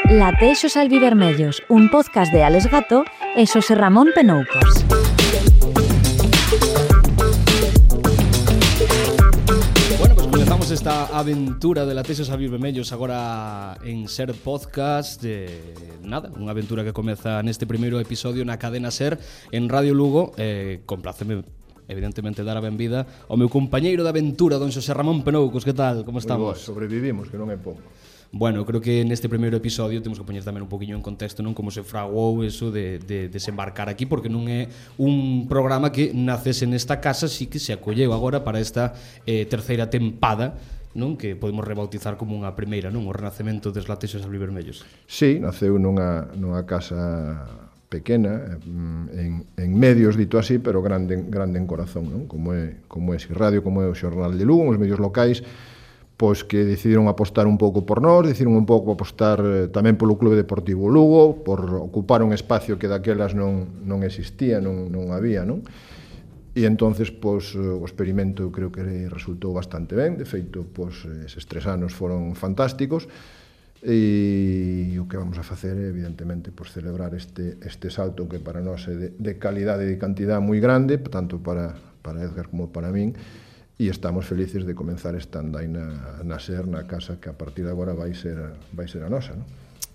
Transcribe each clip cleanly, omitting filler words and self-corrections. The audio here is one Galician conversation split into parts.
Latexos albivermellos, un podcast de Alex Gato e Xosé Ramón Penoucos. Bueno, pues comenzamos esta aventura de Latexos albivermellos agora en Ser Podcast. Nada, unha aventura que comeza neste primeiro episodio na cadena Ser en Radio Lugo. Compláceme evidentemente dar a benvida ao meu compañeiro de aventura, don Xosé Ramón Penoucos. Que tal? Como estamos? Sobrevivimos, que non é pouco. Bueno, creo que neste primeiro episodio temos que poñer tamén un poquinho en contexto, non, como se fraguou eso de desembarcar aquí, porque non é un programa que nacese nesta casa, sí que se acolleu agora para esta terceira tempada, non, que podemos rebautizar como unha primeira, non, o renacemento dos Latexos albivermellos. Sí, naceu nunha casa pequena, en medios, dito así, pero grande en corazón, non? Como é Radio, como é o Xornal de Lugo, os medios locais, pois que decidiron apostar un pouco por nós, decidiron un pouco apostar tamén polo Clube Deportivo Lugo, por ocupar un espacio que daquelas non existía, non había, non? E entonces, pois, o experimento creo que resultou bastante ben. De feito, pois, eses 3 anos foron fantásticos, e o que vamos a facer é, evidentemente, pois, celebrar este salto que para nós é de calidade e de cantidade moi grande, tanto para Edgar como para min, e estamos felices de comenzar esta andaina na Ser, na casa que a partir de agora vai ser a nosa, non?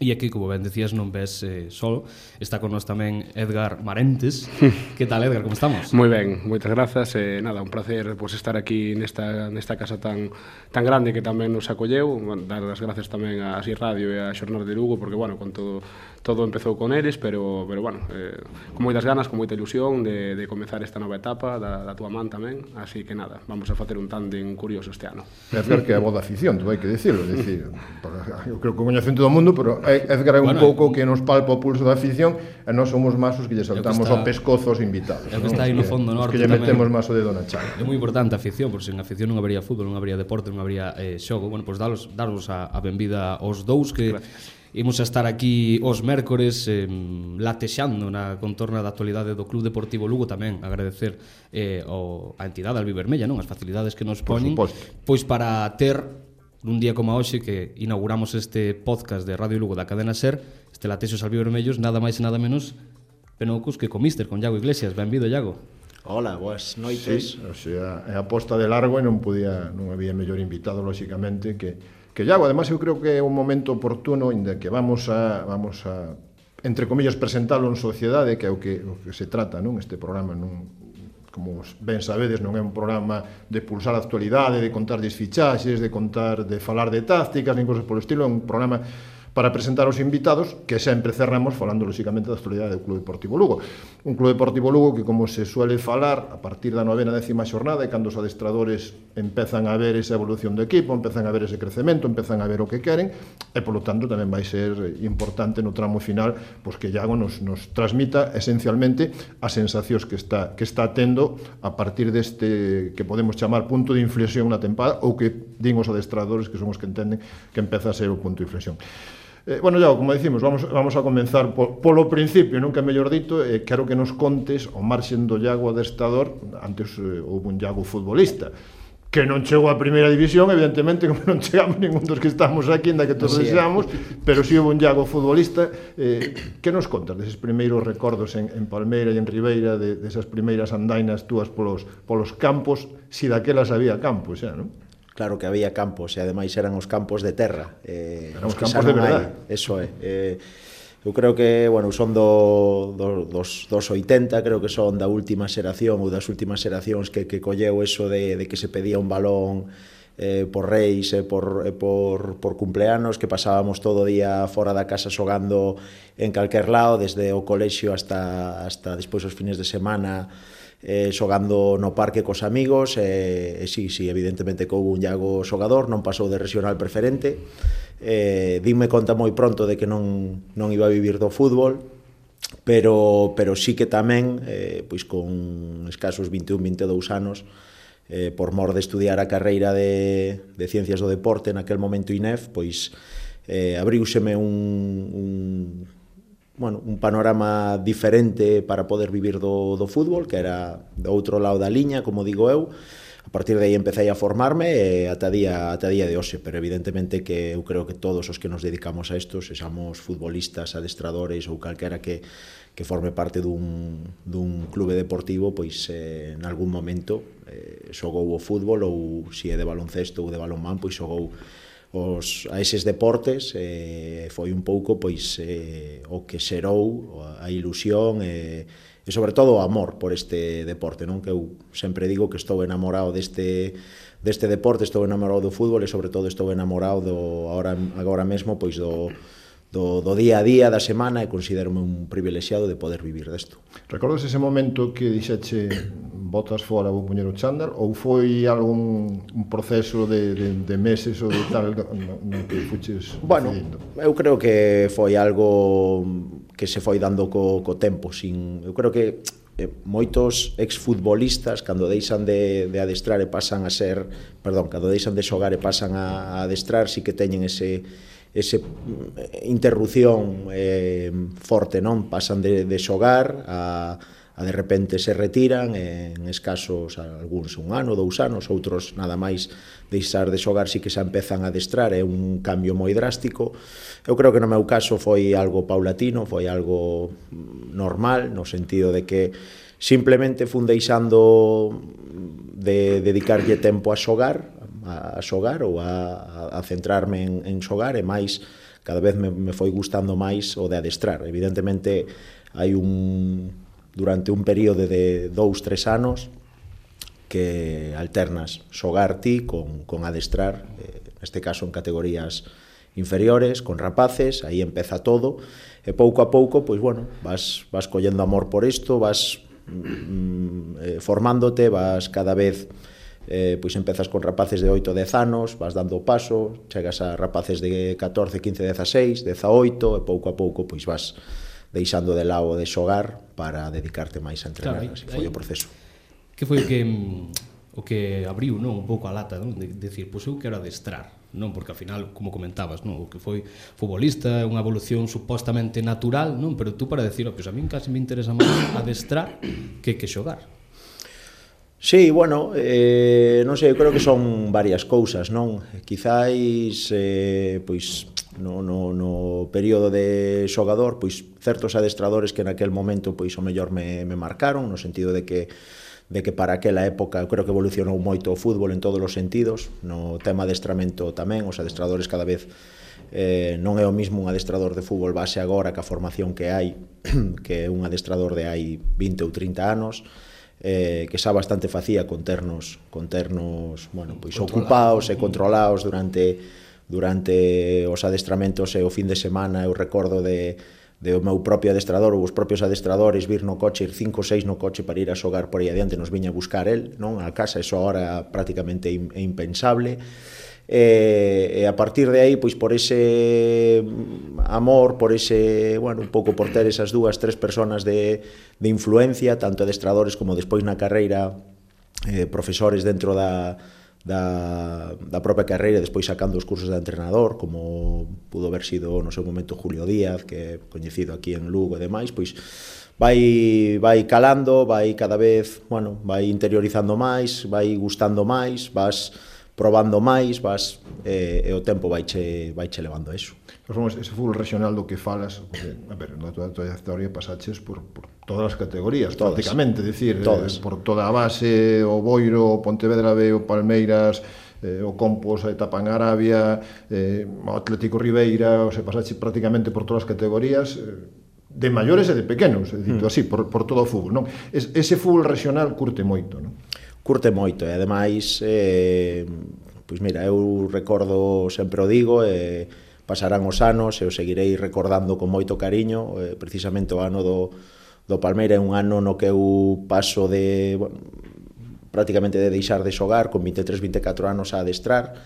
E aquí, como ben decías, non ves solo, está con nós tamén Edgar Marentes. Que tal, Edgar, como estamos? Moi ben, moitas grazas, nada, un placer pues, estar aquí nesta casa tan grande que tamén nos acolleu. Dar as grazas tamén a Así Radio e a Xornal de Lugo, porque, bueno, con todo empezou con eles, pero bueno, con moitas ganas, con moita ilusión de comezar esta nova etapa da túa man tamén, así que nada, vamos a facer un tándem curioso este ano. Edgar, que é a voz da afición, tú hai que dicirlo, eu creo que coñecen todo o mundo, pero Edgar é un pouco que nos palpa o pulso da afición, e nós somos máis os que lle saltamos ao pescozo aos invitados. É o que está aí no fondo norte. Os que lle metemos máis o dedo na chaga. É moi importante a afición, porque sen afición non habería fútbol, non habería deporte, non habería xogo. Bueno, pois darvos a benvida aos dous, que imos a estar aquí os mércores latexando na contorna da actualidade do Club Deportivo Lugo. Tamén agradecer a entidade albivermella, non, as facilidades que nos poñen, pois para ter nun día como hoxe que inauguramos este podcast de Radio Lugo da cadena Ser, este Latexos albivermellos, nada máis e nada menos Penoucos que co míster, con Iago Iglesias. Benvido, Iago. Hola, boas noites. Sí, o sea, é a posta de largo e non había mellor invitado, lóxicamente, que Iago. Además, eu creo que é un momento oportuno inda que vamos a entre comillas, presentalo en sociedade, que é o que se trata, non? Este programa como ben sabedes, non é un programa de pulsar a actualidade, de contar desfichaxes, de falar de tácticas, nin cosas polo estilo. É un programa para presentar os invitados, que sempre cerramos falando, lóxicamente, da actualidade do Club Deportivo Lugo. Un Club Deportivo Lugo que, como se suele falar, a partir da 9ª, 10ª xornada, e cando os adestradores empezan a ver esa evolución do equipo, empezan a ver ese crecemento, empezan a ver o que queren, e, polo tanto, tamén vai ser importante no tramo final pois que Iago nos transmita, esencialmente, as sensacións que está tendo a partir deste que podemos chamar punto de inflexión na tempada, ou que din os adestradores, que son os que entenden que empeza a ser o punto de inflexión. Bueno, Iago, como dicimos, vamos a comenzar polo principio, nunca mellor dito. Quero que nos contes, ao marxen do Iago adestrador. Antes houve un Iago futbolista que non chegou a primeira división, evidentemente, como non chegamos ningún dos que estamos aquí, ainda que todos deseamos, pero si houve un Iago futbolista. Que nos contas deses primeiros recordos en Palmeira e en Ribeira, desas primeiras andainas túas polos campos, si daquelas había campos xa, non? Claro que había campos, e ademais eran os campos de terra. Eran os campos de verdade. Eso é. Eu creo que, bueno, son dos 80, creo que son da última xeración, ou das últimas xeracións que colleu eso de que se pedía un balón por reis e por cumpleanos, que pasábamos todo o día fora da casa xogando en calquer lado, desde o colexio hasta despois os fines de semana, xogando no parque cos amigos. Sí, evidentemente que houve un Iago xogador, non pasou de regional preferente. Dime conta moi pronto de que non iba a vivir do fútbol, pero sí que tamén, pois con escasos 21-22 anos, por mor de estudiar a carreira de Ciencias do Deporte, naquel momento INEF, pois abriúseme un panorama diferente para poder vivir do fútbol, que era do outro lado da liña, como digo eu. A A partir de aí empecé a formarme ata día de hoxe, pero evidentemente que eu creo que todos os que nos dedicamos a isto, sexamos futbolistas, adestradores ou calquera que forme parte dun clube deportivo, pois en algún momento xogou o fútbol ou se é de baloncesto ou de balonmán, pois xogou a eses deportes, foi un pouco pois o que xerou a ilusión e sobre todo o amor por este deporte, non? Que eu sempre digo que estou enamorado deste deporte, estou enamorado do fútbol e sobre todo estou enamorado agora mesmo pois do día a día, da semana, e considero-me un privilexiado de poder vivir desto. Recordas ese momento que dixeche botas fora, vou poñer o chándal, ou foi algún proceso de meses ou de tal no que fuches bueno, decidindo? Eu creo que foi algo que se foi dando co tempo. Eu creo que moitos exfutbolistas cando deixan de adestrar e pasan a ser, cando deixan de xogar e pasan a adestrar, sí que teñen ese interrupción forte, non? Pasan de xogar a de repente se retiran, en escasos algúns un ano, 2 anos, outros nada máis deixar de xogar sí que se empezan a adestrar, é un cambio moi drástico. Eu creo que no meu caso foi algo paulatino, foi algo normal, no sentido de que simplemente fun deixando de dedicarlle tempo a xogar ou a centrarme en xogar, e máis cada vez me foi gustando máis o de adestrar. Evidentemente hai durante un período de 2-3 anos que alternas xogar ti con adestrar, neste caso en categorías inferiores, con rapaces, aí empeza todo, e pouco a pouco, pois bueno, vas collendo amor por isto, vas formándote, vas cada vez, pois empezas con rapaces de 8-10 anos, vas dando o paso, chegas a rapaces de 14, 15, 16, 18, e pouco a pouco, pois vas deixando de lado de xogar para dedicarte máis a entrenar. Claro, así foi o proceso. Que foi o que abriu, non, un pouco a lata, non, de decir, pois eu quero adestrar, non, porque ao final, como comentabas, non, o que foi futbolista é unha evolución supostamente natural, non, pero tú para decir, pois a min casi me interesa máis adestrar que xogar. Sí, bueno, non sei, eu creo que son varias cousas, non? Quizáis, pois, no período de xogador, pois certos adestradores que naquel momento pois o mellor me marcaron, no sentido de que para aquela época eu creo que evolucionou moito o fútbol en todos os sentidos, no tema adestramento tamén, os adestradores cada vez non é o mismo un adestrador de fútbol base agora que a formación que hai, que un adestrador de hai 20 ou 30 anos, que xa bastante facía con ternos, bueno, pois ocupados e controlados durante os adestramentos e o fin de semana. Eu recordo de o meu propio adestrador ou os propios adestradores vir no coche, ir 5 ou 6 no coche para ir a xogar por aí adiante, nos viña a buscar el, non, a casa, eso agora prácticamente é impensable. E a partir de aí, pois por ese amor, por ese, bueno, un pouco por ter esas 2-3 personas de influencia, tanto adestradores como despois na carreira, profesores dentro da propia carreira, despois sacando os cursos de entrenador, como pudo haber sido no seu momento Julio Díaz, que é coñecido aquí en Lugo e demais, pois vai calando, vai cada vez, bueno, vai interiorizando máis, vai gustando máis, vas probando máis, e o tempo vaiche levando a iso. Ese fútbol regional do que falas, porque, a ver, na tua trayectoria pasaches por todas as categorías, todas, prácticamente, decir, por toda a base, o Boiro, o Pontevedra B, o Palmeiras, o Compos, a etapa en Arabia, o Atlético Ribeira, o sea, pasaches prácticamente por todas as categorías, de maiores e de pequenos, dito así, por todo o fútbol, non? Ese fútbol regional curte moito, non? Curte moito, e ademais, pois mira, eu recordo, sempre o digo, pasarán os anos e o seguirei recordando con moito cariño, precisamente o ano do Palmeira é un ano no que eu paso prácticamente de deixar de xogar, con 23-24 anos a adestrar,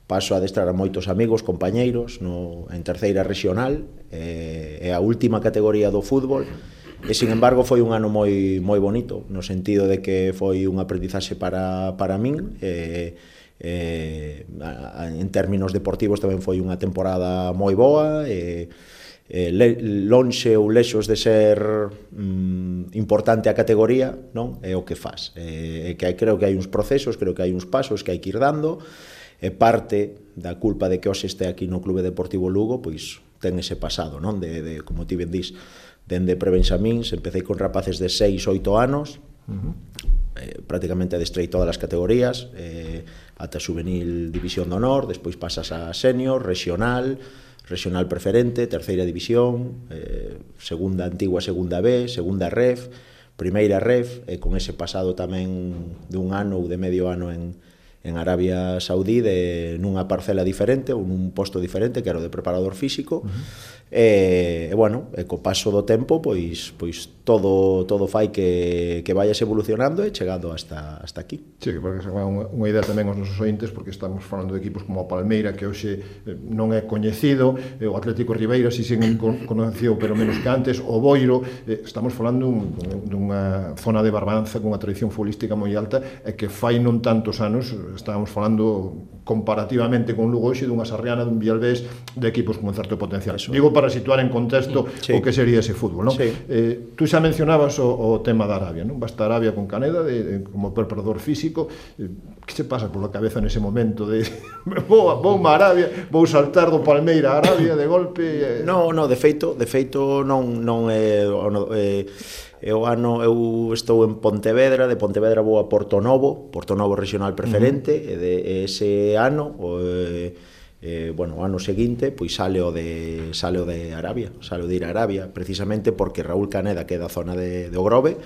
paso a adestrar a moitos amigos, compañeiros, en terceira regional, é a última categoría do fútbol, e, sin embargo, foi un ano moi bonito, no sentido de que foi un aprendizaxe para min, en términos deportivos tamén foi unha temporada moi boa, lonxe ou lexos de ser importante a categoría, non? É o que faz. Creo que hai uns procesos, creo que hai uns pasos que hai que ir dando, e parte da culpa de que hoxe este aquí no Clube Deportivo Lugo, pois ten ese pasado, non? De como ti ben dís, dende prebenxamíns, empecé con rapaces de 6, 8 anos, prácticamente adestrei todas as categorías, ata juvenil división de honor, despois pasas a senior, regional preferente, terceira división, segunda antigua, segunda B, segunda ref, primeira ref, e con ese pasado tamén dun ano ou de medio ano en Arabia Saudí, nunha parcela diferente ou nun posto diferente, que era o de preparador físico, e bueno, co paso do tempo pois todo fai que vayas evolucionando e chegando hasta aquí. Sí, que porque se va unha idea tamén aos nosos ointes, porque estamos falando de equipos como a Palmeira, que hoxe non é coñecido, o Atlético Ribeira si sen conocido pero menos que antes, o Boiro, estamos falando dunha zona de Barbanza con unha tradición futbolística moi alta, e que fai non tantos anos estábamos falando comparativamente con Lugo hoxe dunha Sarriana, dun Vialbés, de equipos con un certo potencial. Digo, para situar en contexto o que sería ese fútbol, non? Sí. Tú xa mencionabas o tema da Arabia, non? Basta Arabia con Caneda como preparador físico. Que se pasa pola cabeza nese momento de vou a Arabia, vou saltar do Palmeira a Arabia de golpe? No, de feito non é o ano. Eu estou en Pontevedra, de Pontevedra vou a Porto Novo regional preferente, e de ese ano o ano seguinte pois sale o de Arabia, sale o de ir a Arabia, precisamente porque Raúl Caneda, que é da zona de Ogrove,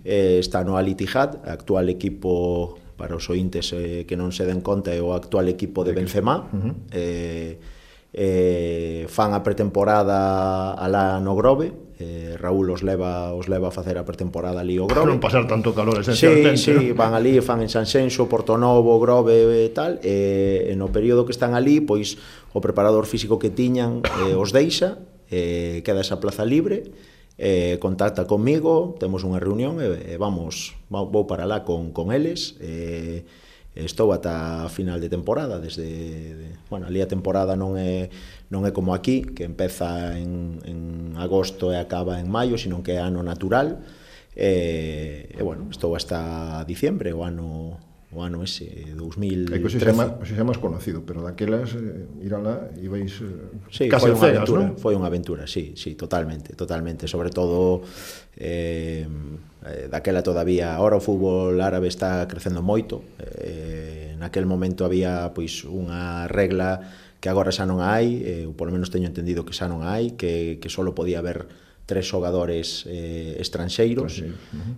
está no Al Ittihad, actual equipo, para os ointes que non se den conta, é o actual equipo de Benzema. Fan a pretemporada alá no Grove, Raúl os leva a facer a pretemporada ali o Grove. Non pasar tanto calor esencialmente. Sí, van ali, fan en Sanxenxo, Portonovo, Grove e tal, e no período que están ali, pois o preparador físico que tiñan os deixa, queda esa plaza libre, contacta comigo, temos unha reunión e vou para lá con eles. Estou ata a final de temporada, ali a temporada non é como aquí, que empeza en agosto e acaba en maio, sino que é ano natural, estou hasta diciembre, o ano ese 2013. Hoxe xa máis conocido, pero daquelas ir alá ibais sí, casi a cegas, non? Foi unha aventura, sí, totalmente, sobre todo daquela todavía. Ahora o fútbol árabe está crecendo moito, naquel momento había pois unha regla que agora xa non hai, eu polo menos teño entendido que xa non hai, que só podía haber 3 xogadores estranxeiros,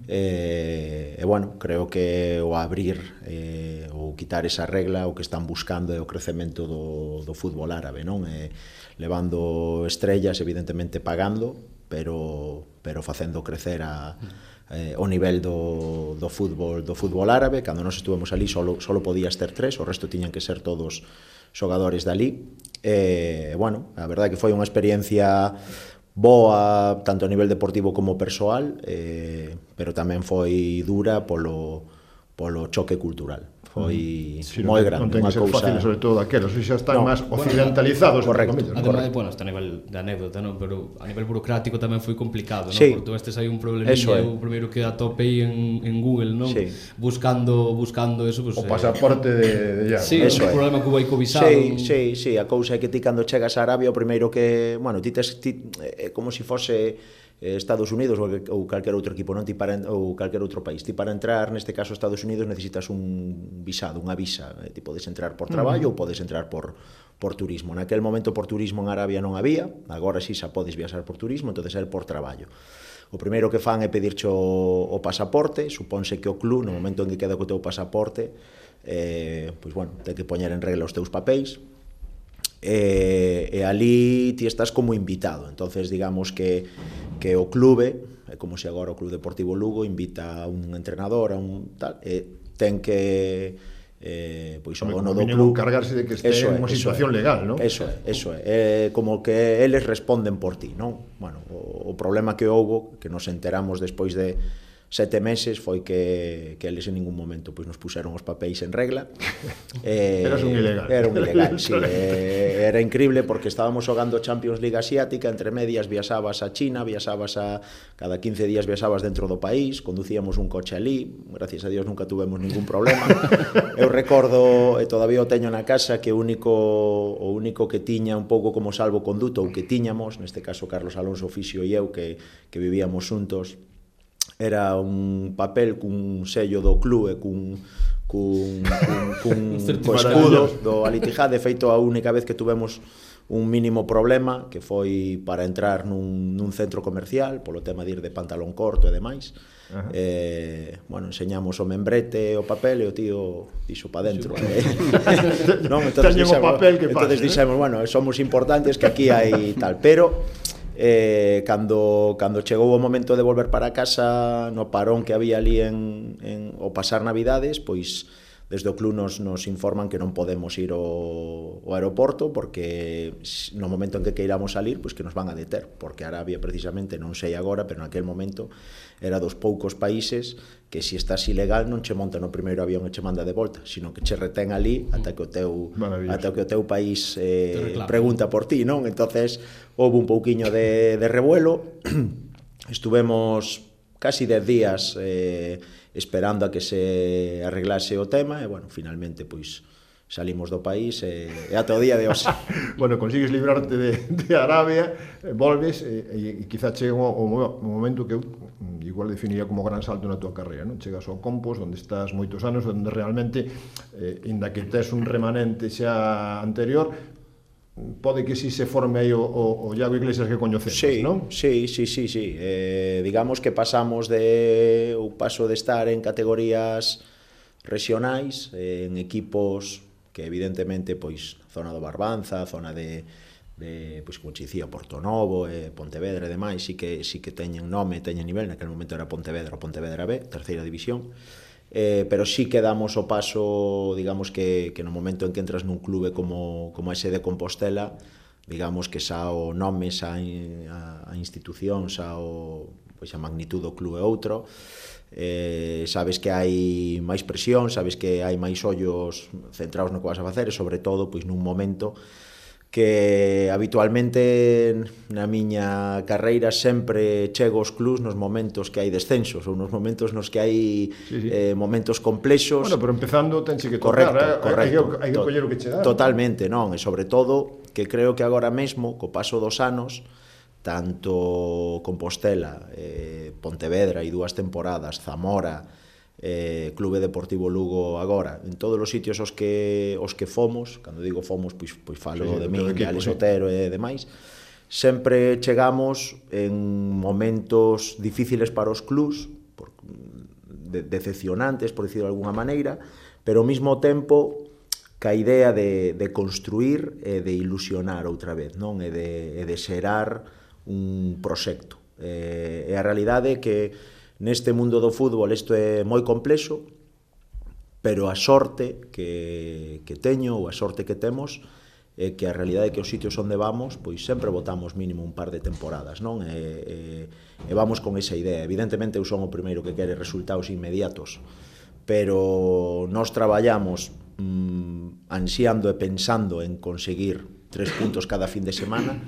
creo que o abrir ou quitar esa regla, o que están buscando é o crecemento do fútbol árabe, non? Levando estrellas, evidentemente pagando, pero facendo crecer o nivel do fútbol árabe. Cando nós estuvemos ali solo podías ter 3, o resto tiñan que ser todos xogadores dali. A verdade que foi unha experiencia boa, tanto a nivel deportivo como persoal, pero tamén foi dura polo choque cultural. Foi moi grande. Non ten que ser fácil, sobre todo daquelos, xa están máis occidentalizados. Correcto. Ademais, está a nivel de anécdota, non? Pero a nivel burocrático tamén foi complicado, non? Sí. Porque estes hai un probleminha, o primeiro que atope en Google, non? Sí. Buscando eso, pues, O pasaporte de ya. Sí, o problema que vai co visado. Sí, a cousa é que ti cando chegas a Arabia, o primeiro que, ti como se fose Estados Unidos ou calquer outro equipo, non? Ou calquer outro país. Ti para entrar, neste caso Estados Unidos, necesitas un visado, unha visa. Ti podes entrar por traballo ou podes entrar por turismo. Naquel momento por turismo en Arabia non había, agora si xa podes viaxar por turismo, entonces é por traballo. O primeiro que fan é pedirche o pasaporte, supónse que o club, no momento en que queda co teu pasaporte, ten que poñer en regla os teus papéis, e ali ti estás como invitado. Entonces digamos que o clube, é como se agora o Club Deportivo Lugo invita a un entrenador, a un tal, ten que o dono do club cargarse de que este en unha situación legal, non? Eso é como que eles responden por ti, non? Bueno, o problema que houbo, que nos enteramos despois de 7 meses, foi que eles en ningún momento nos puseron os papéis en regla. Eras un ilegal. Era un ilegal, sí. era increíble porque estábamos xogando Champions League asiática, entre medias viaxabas a China, cada 15 días viaxabas dentro do país, conducíamos un coche ali, gracias a Dios nunca tuvemos ningún problema. Eu recordo, e todavía o teño na casa, que o único que tiña un pouco como salvoconduto, ou que tiñamos, neste caso Carlos Alonso Fixio e eu, que vivíamos xuntos, era un papel cun sello do club e cun escudo do Al-Ittihad. De feito, a única vez que tuvemos un mínimo problema, que foi para entrar nun centro comercial, polo tema de ir de pantalón corto e demais. Bueno, enseñamos o membrete, o papel, e o tío dixo pa dentro. Non, entonces dixemos, bueno, somos importantes, que aquí hai tal, pero cando chegou o momento de volver para casa, no parón que había ali o pasar Navidades, pois desde o club nos informan que non podemos ir ao aeroporto, porque no momento en que queiramos salir, pois que nos van a deter, porque Arabia precisamente, non sei agora, pero naquel momento era dos poucos países que se estás ilegal non che monta no primeiro avión e che manda de volta, sino que che retén ali ata que o teu país pregunta por ti, non? Entonces houve un pouquiño de revuelo. Estuvemos casi 10 días esperando a que se arreglase o tema, e, bueno, finalmente, pois, salimos do país e ata o día de hoxe. Bueno, consigues librarte de Arabia, volves e quizá chega o momento que eu igual definiría como gran salto na tua carreira, non? Chegas ao Compos, onde estás moitos anos, onde realmente, inda que tes un remanente xa anterior, pode que si se forme aí o Iago Iglesias que coñecemos, non? Sí. Digamos que pasamos o paso de estar en categorías regionais, en equipos que evidentemente, pois, zona do Barbanza, zona de pois, como che dicía, Portonovo, Pontevedra e demais, sí que teñen nome, teñen nivel. Naquele momento era Pontevedra ou Pontevedra B, terceira división. Pero sí que damos o paso, digamos que no momento en que entras nun clube como ese de Compostela, digamos que xa o nome, xa a institución, xa pois a magnitud do clube é outro. Sabes que hai máis presión, sabes que hai máis ollos centrados no que vas a facer, e sobre todo pois nun momento que habitualmente na miña carreira sempre chego aos clubs nos momentos que hai descensos, ou nos momentos nos que hai momentos complexos. Bueno, pero empezando tense que tocar, correcto. Hai que coller o que che dá. Totalmente, non, e sobre todo que creo que agora mesmo, co paso dos anos, tanto Compostela, Pontevedra e 2 temporadas, Zamora, Clube Deportivo Lugo agora, en todos os sitios os que fomos, cando digo fomos, pois falo de min, de Alex Otero e demais, sempre chegamos en momentos difíciles para os clubs, decepcionantes, por dicirlo de alguna maneira, pero ao mesmo tempo ca idea de construir e de ilusionar outra vez, non? E de xerar un proxecto. E a realidade é que neste mundo do fútbol isto é moi complexo, pero a sorte que teño, ou a sorte que temos, é que a realidade é que os sitios onde vamos, pois sempre votamos mínimo un par de temporadas, non? E vamos con esa idea. Evidentemente eu son o primeiro que quere resultados inmediatos, pero nós traballamos ansiando e pensando en conseguir 3 puntos cada fin de semana,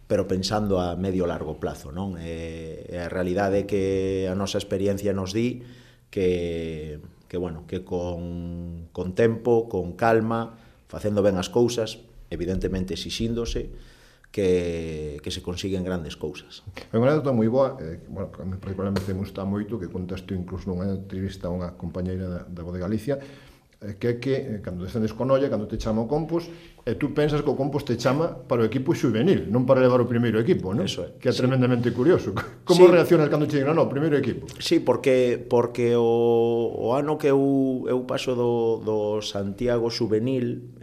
pero pensando a medio largo plazo, non? E a realidade é que a nosa experiencia nos di que con tempo, con calma, facendo ben as cousas, evidentemente exixíndose, que se consiguen grandes cousas. É unha anécdota moi boa, bueno, que a mí particularmente me gusta moito, que contaste incluso nunha entrevista a unha compañeira da Voz de Galicia, que é que, cando descendes con olla, cando te chama o Compos, e tú pensas que o Compos te chama para o equipo xuvenil, non para levar o primeiro equipo, non? Eso é. Que é tremendamente curioso. Como reaccionas cando che digan, no, primeiro equipo? Sí, porque o ano que eu paso do Santiago Xuvenil,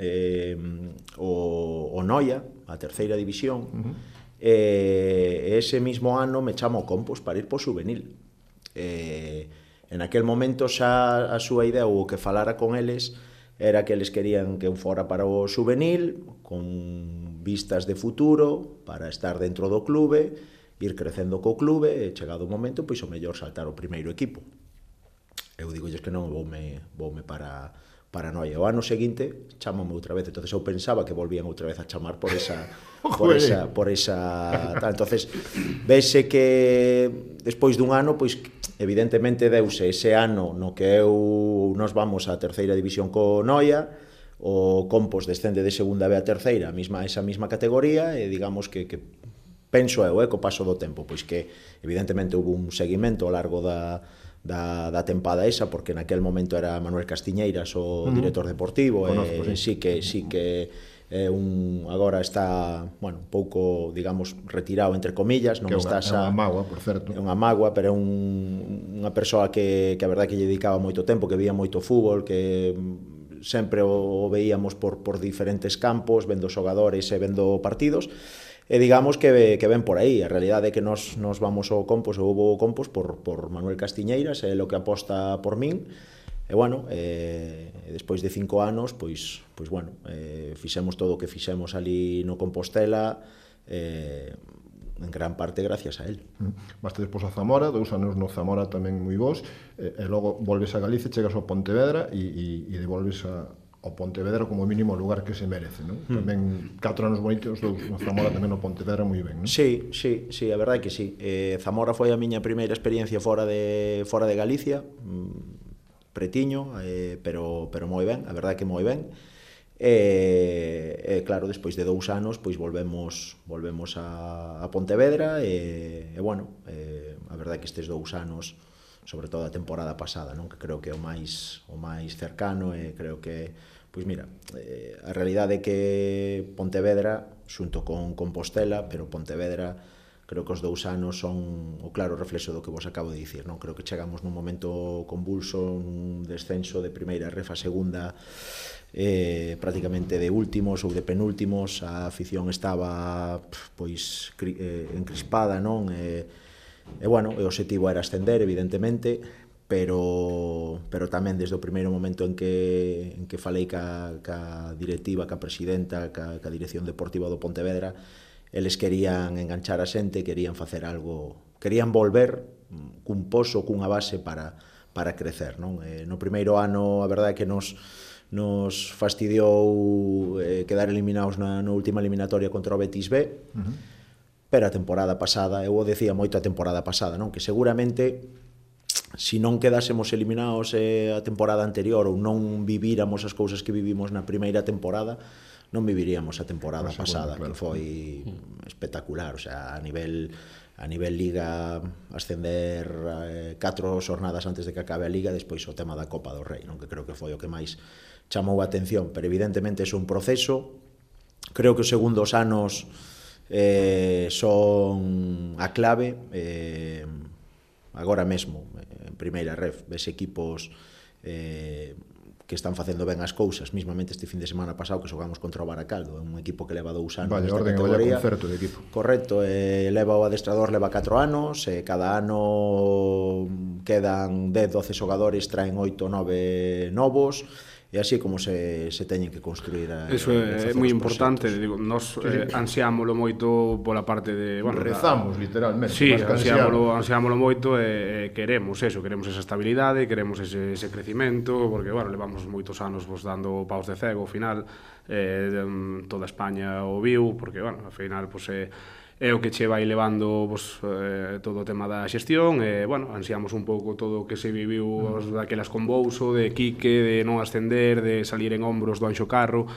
o Noia, a terceira división, ese mismo ano me chama o Compos para ir po Xuvenil. En aquel momento xa a súa idea, ou o que falara con eles, era que eles querían que eu fora para o Xuvenil, con vistas de futuro, para estar dentro do clube, ir crecendo co clube, e chegado o momento, pois o mellor saltar o primeiro equipo. Eu digolles que non, voume para Noia. O ano seguinte chamame outra vez, entonces eu pensaba que volvían outra vez a chamar por esa entonces vese que despois dun ano, pois evidentemente deuse ese ano no que nos vamos á terceira división co Noia, o Compos descende de segunda B a terceira, esa mesma categoría, e digamos que penso eu, co paso do tempo, pois que evidentemente houve un seguimento ao largo da tempada esa, porque naquel momento era Manuel Castiñeiras o director deportivo, e sí que agora está, un pouco, digamos, retirado entre comillas, non está xa... É unha mágoa, por certo. É unha mágoa, pero é unha persoa que a verdade que lle dedicaba moito tempo, que veía moito fútbol, que sempre o veíamos por diferentes campos, vendo xogadores e vendo partidos, e digamos que ven por aí. A realidade é que nos vamos ao Compos, ou houve o Compos por Manuel Castiñeiras, é o que aposta por min, e despois de 5 anos, pois fixemos todo o que fixemos ali no Compostela, en gran parte gracias a él. Vaste despois a Zamora, 2 anos no Zamora tamén moi bons, e logo volves a Galicia, chegas ao Pontevedra e devolves ao Pontevedra como mínimo o lugar que se merece, non? Tamén 4 anos bonitos, 2 no Zamora, tamén no Pontevedra moi ben, non? Sí, a verdade é que sí. Zamora foi a miña primeira experiencia fora de Galicia, pretiño, pero moi ben, a verdade é que moi ben. E claro, despois de 2 anos pois volvemos a Pontevedra, e a verdade é que estes 2 anos, sobre todo a temporada pasada, non, que creo que é o máis cercano, e creo que, pois mira, a realidade é que Pontevedra xunto con Compostela, pero Pontevedra creo que os 2 anos son o claro reflexo do que vos acabo de dicir, non? Creo que chegamos nun momento convulso, un descenso de primeira ref a segunda, prácticamente de últimos ou de penúltimos, a afición estaba pois encrispada, non? E o obxectivo era ascender, evidentemente, pero tamén desde o primeiro momento en que falei ca directiva, ca presidenta, ca dirección deportiva do Pontevedra, eles querían enganchar a xente, querían facer algo, querían volver cun pozo, cunha base para crecer, non? No primeiro ano, a verdade é que nos fastidiou quedar eliminados na última eliminatoria contra o Betis B, pero a temporada pasada, eu o decía moito a temporada pasada, non? Que seguramente se non quedásemos eliminados a temporada anterior, ou non vivíramos as cousas que vivimos na primeira temporada, non viviríamos a temporada pasada, claro, que foi espectacular, o sea, a nivel Liga, ascender 4 xornadas antes de que acabe a Liga, despois o tema da Copa do Rei, non, que creo que foi o que máis chamou a atención, pero evidentemente é un proceso. Creo que os segundos anos son a clave, agora mesmo en primeira ref ves equipos que están facendo ben as cousas, mismamente este fin de semana pasado que xogamos contra o Baracaldo, un equipo que leva 2 anos nesta categoría. Concerto de equipo. Correcto, leva o adestrador, leva 4 anos, cada ano quedan 10-12 xogadores, traen 8-9 novos, e así como se teñen que construir eso é moi importante, digo, nos ansiámolo moito pola parte de, rezamos literalmente, sí, ansiámolo moito, e queremos esa estabilidade, queremos ese crecimento, porque levamos moitos anos dando paus de cego, ao final toda España o viu, porque ao final é o que che vai levando todo o tema da xestión, e ansiamos un pouco todo o que se viviu daquelas con Bouso, de Quique, de non ascender, de salir en hombros do Anxo Carro.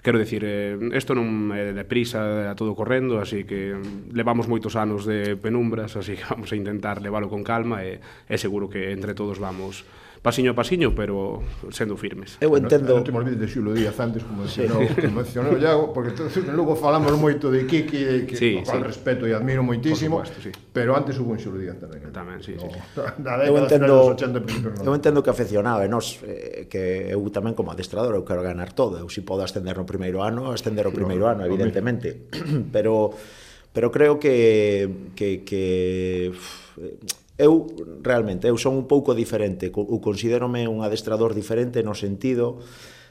Quero dicir, isto non é de prisa, a todo correndo, así que levamos moitos anos de penumbras, así que vamos a intentar leválo con calma, e seguro que entre todos vamos pasiño a pasiño, pero sendo firmes. Eu entendo... Non te olvides de Xulo Díaz antes, como mencionou Iago, porque logo falamos moito de Kiki, que ao respeto e admiro moitísimo, pero antes hubo un Xulo Díaz tamén. Tamén, sí. Eu entendo que afeccionado, e nós, que eu tamén como adestrador, eu quero ganar todo, eu si podo ascender no primeiro ano, ascender o primeiro ano, evidentemente, pero creo que eu realmente son un pouco diferente, eu considérome un adestrador diferente no sentido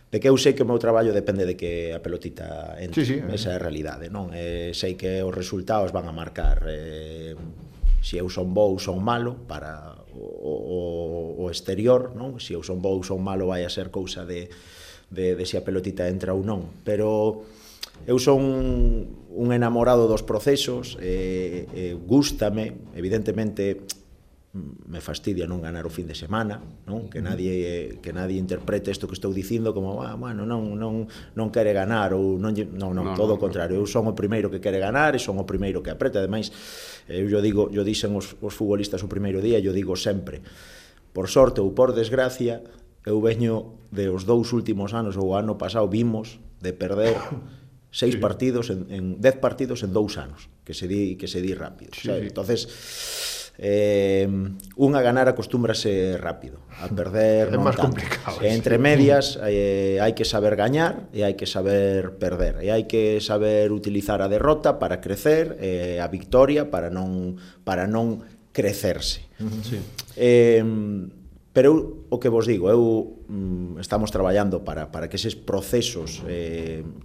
de que eu sei que o meu traballo depende de que a pelotita entre, esa é a realidade, non? Sei que os resultados van a marcar, se eu son bo ou son malo para o exterior, non? Se eu son bo ou son malo vai a ser cousa de se a pelotita entra ou non, pero eu son un enamorado dos procesos, gústame, evidentemente me fastidia non ganar o fin de semana, non? Que nadie interprete isto que estou dicindo como, bueno, non quere ganar ou non, todo o contrario, eu son o primeiro que quere ganar e son o primeiro que apreta. Ademais, eu dixen os futbolistas o primeiro día, eu digo sempre, por sorte ou por desgracia, eu veño de os 2 últimos anos, ou o ano pasado vimos de perder 6 partidos en 10 partidos en 2 anos, que se di rápido, sabe? Entonces, un a ganar acostúmbrase rápido, a perder é non máis tanto. complicado. Entre medias hai que saber gañar e hai que saber perder, e hai que saber utilizar a derrota para crecer, a victoria para non crecerse. Sí. Pero eu, o que vos digo, estamos traballando para que eses procesos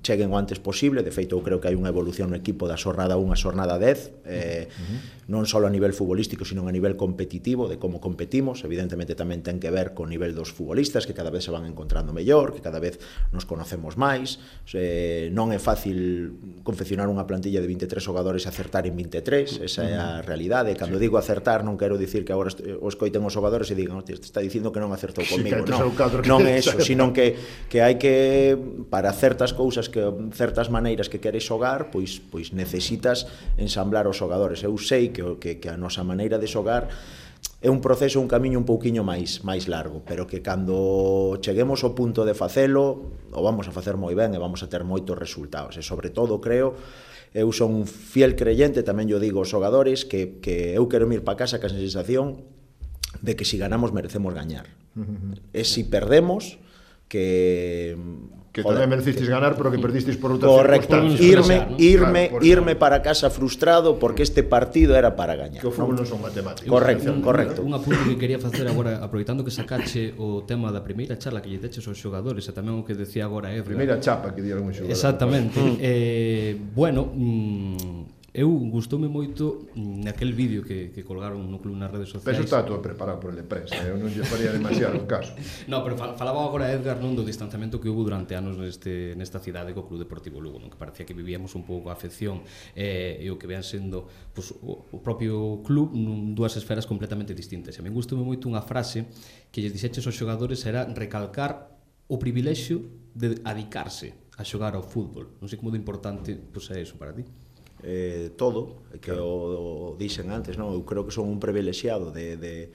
cheguen o antes posible. De feito, eu creo que hai unha evolución no equipo da xornada 1 a xornada 10, non só a nivel futbolístico, sino a nivel competitivo, de como competimos. Evidentemente tamén ten que ver co nivel dos futbolistas, que cada vez se van encontrando mellor, que cada vez nos conocemos máis. Non é fácil confeccionar unha plantilla de 23 xogadores e acertar en 23, esa é a realidade. Cando digo acertar, non quero dicir que agora os coiten os xogadores e digan, está dicindo que non acertou comigo, non é eso, sino que hai que, para certas cousas, que certas maneiras que queres xogar, pois necesitas ensamblar os xogadores. Eu sei que a nosa maneira de xogar é un proceso, un camiño un pouquiño máis largo, pero que cando cheguemos ao punto de facelo, o vamos a facer moi ben e vamos a ter moitos resultados. E sobre todo, creo, eu son un fiel creyente, tamén yo digo aos xogadores, que eu quero ir para casa con a sensación de que si ganamos merecemos gañar. E si perdemos, que tamén merecisteis ganar, pero que perdisteis por outras circunstancias. Irme para casa frustrado porque este partido era para gañar. Que o fútbol non son matemáticas. Correcto. Un apunte que quería facer agora, aproveitando que sacache o tema da primeira charla que lle deches aos xogadores, e tamén o que decía agora Edgar. Primeira chapa que dieron un xogador. Exactamente. Bueno, eu gustoume moito naquel vídeo que colgaron no club nas redes sociais. Pero está todo preparado por el de prensa, eu non lle faría demasiado caso. No, pero falaba agora Edgar non do distanciamento que houve durante anos nesta cidade co Club Deportivo Lugo, non? Que parecía que vivíamos un pouco a afección e o que vean sendo pues, o propio club dúas esferas completamente distintas. E a mí gustoume moito unha frase que lles dixeches aos xogadores, era recalcar o privilexio de adicarse a xogar ao fútbol. Non sei como de importante pues, é iso para ti. Todo, que o dixen antes, non? Eu creo que son un privilexiado de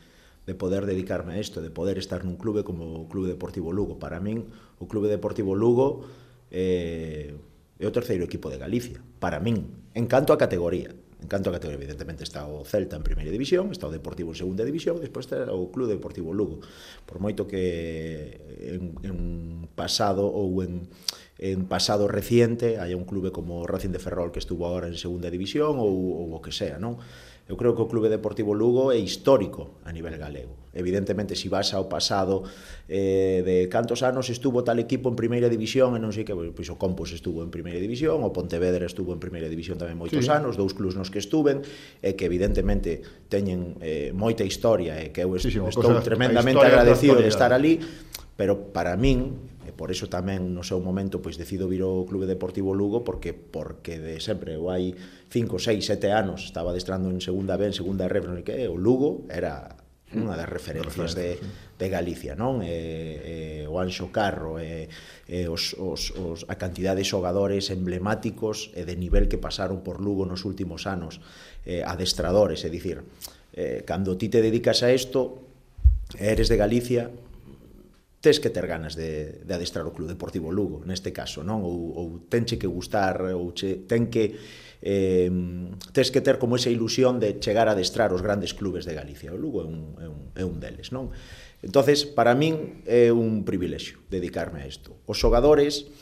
poder dedicarme a isto, de poder estar nun clube como o Clube Deportivo Lugo. Para min, o Clube Deportivo Lugo é o terceiro equipo de Galicia, para min, en canto a categoría. Evidentemente está o Celta en primeira división, está o Deportivo en segunda división, despois está o Clube Deportivo Lugo. Por moito que en pasado ou en pasado reciente hai un clube como o Racing de Ferrol que estuvo agora en segunda división ou o que sea, non? Eu creo que o Clube Deportivo Lugo é histórico a nivel galego. Evidentemente, se vas ao pasado de cantos anos estuvo tal equipo en primeira división e non sei que, pois o Compos estuvo en primeira división, o Pontevedra estuvo en primeira división tamén moitos anos, 2 clubs nos que estuven, e que evidentemente teñen moita historia e que eu estou tremendamente agradecido de estar ali, pero para min, e por iso tamén no seu momento pois decido vir ao Clube Deportivo Lugo porque de sempre, eu hai 5, 6, 7 anos estaba adestrando en segunda B, en segunda R, non sei que, o Lugo era unha das referencias de Galicia, non? O Anxo Carro, a cantidad de xogadores emblemáticos e de nivel que pasaron por Lugo nos últimos anos, adestradores, é dicir, cando ti te dedicas a isto, eres de Galicia, tes que ter ganas de adestrar o Club Deportivo Lugo, neste caso, non? Ou tenche que gustar, ou tes que ter como esa ilusión de chegar a adestrar os grandes clubes de Galicia. O Lugo é un deles, non? Entonces, para min é un privilexio dedicarme a isto. Os xogadores,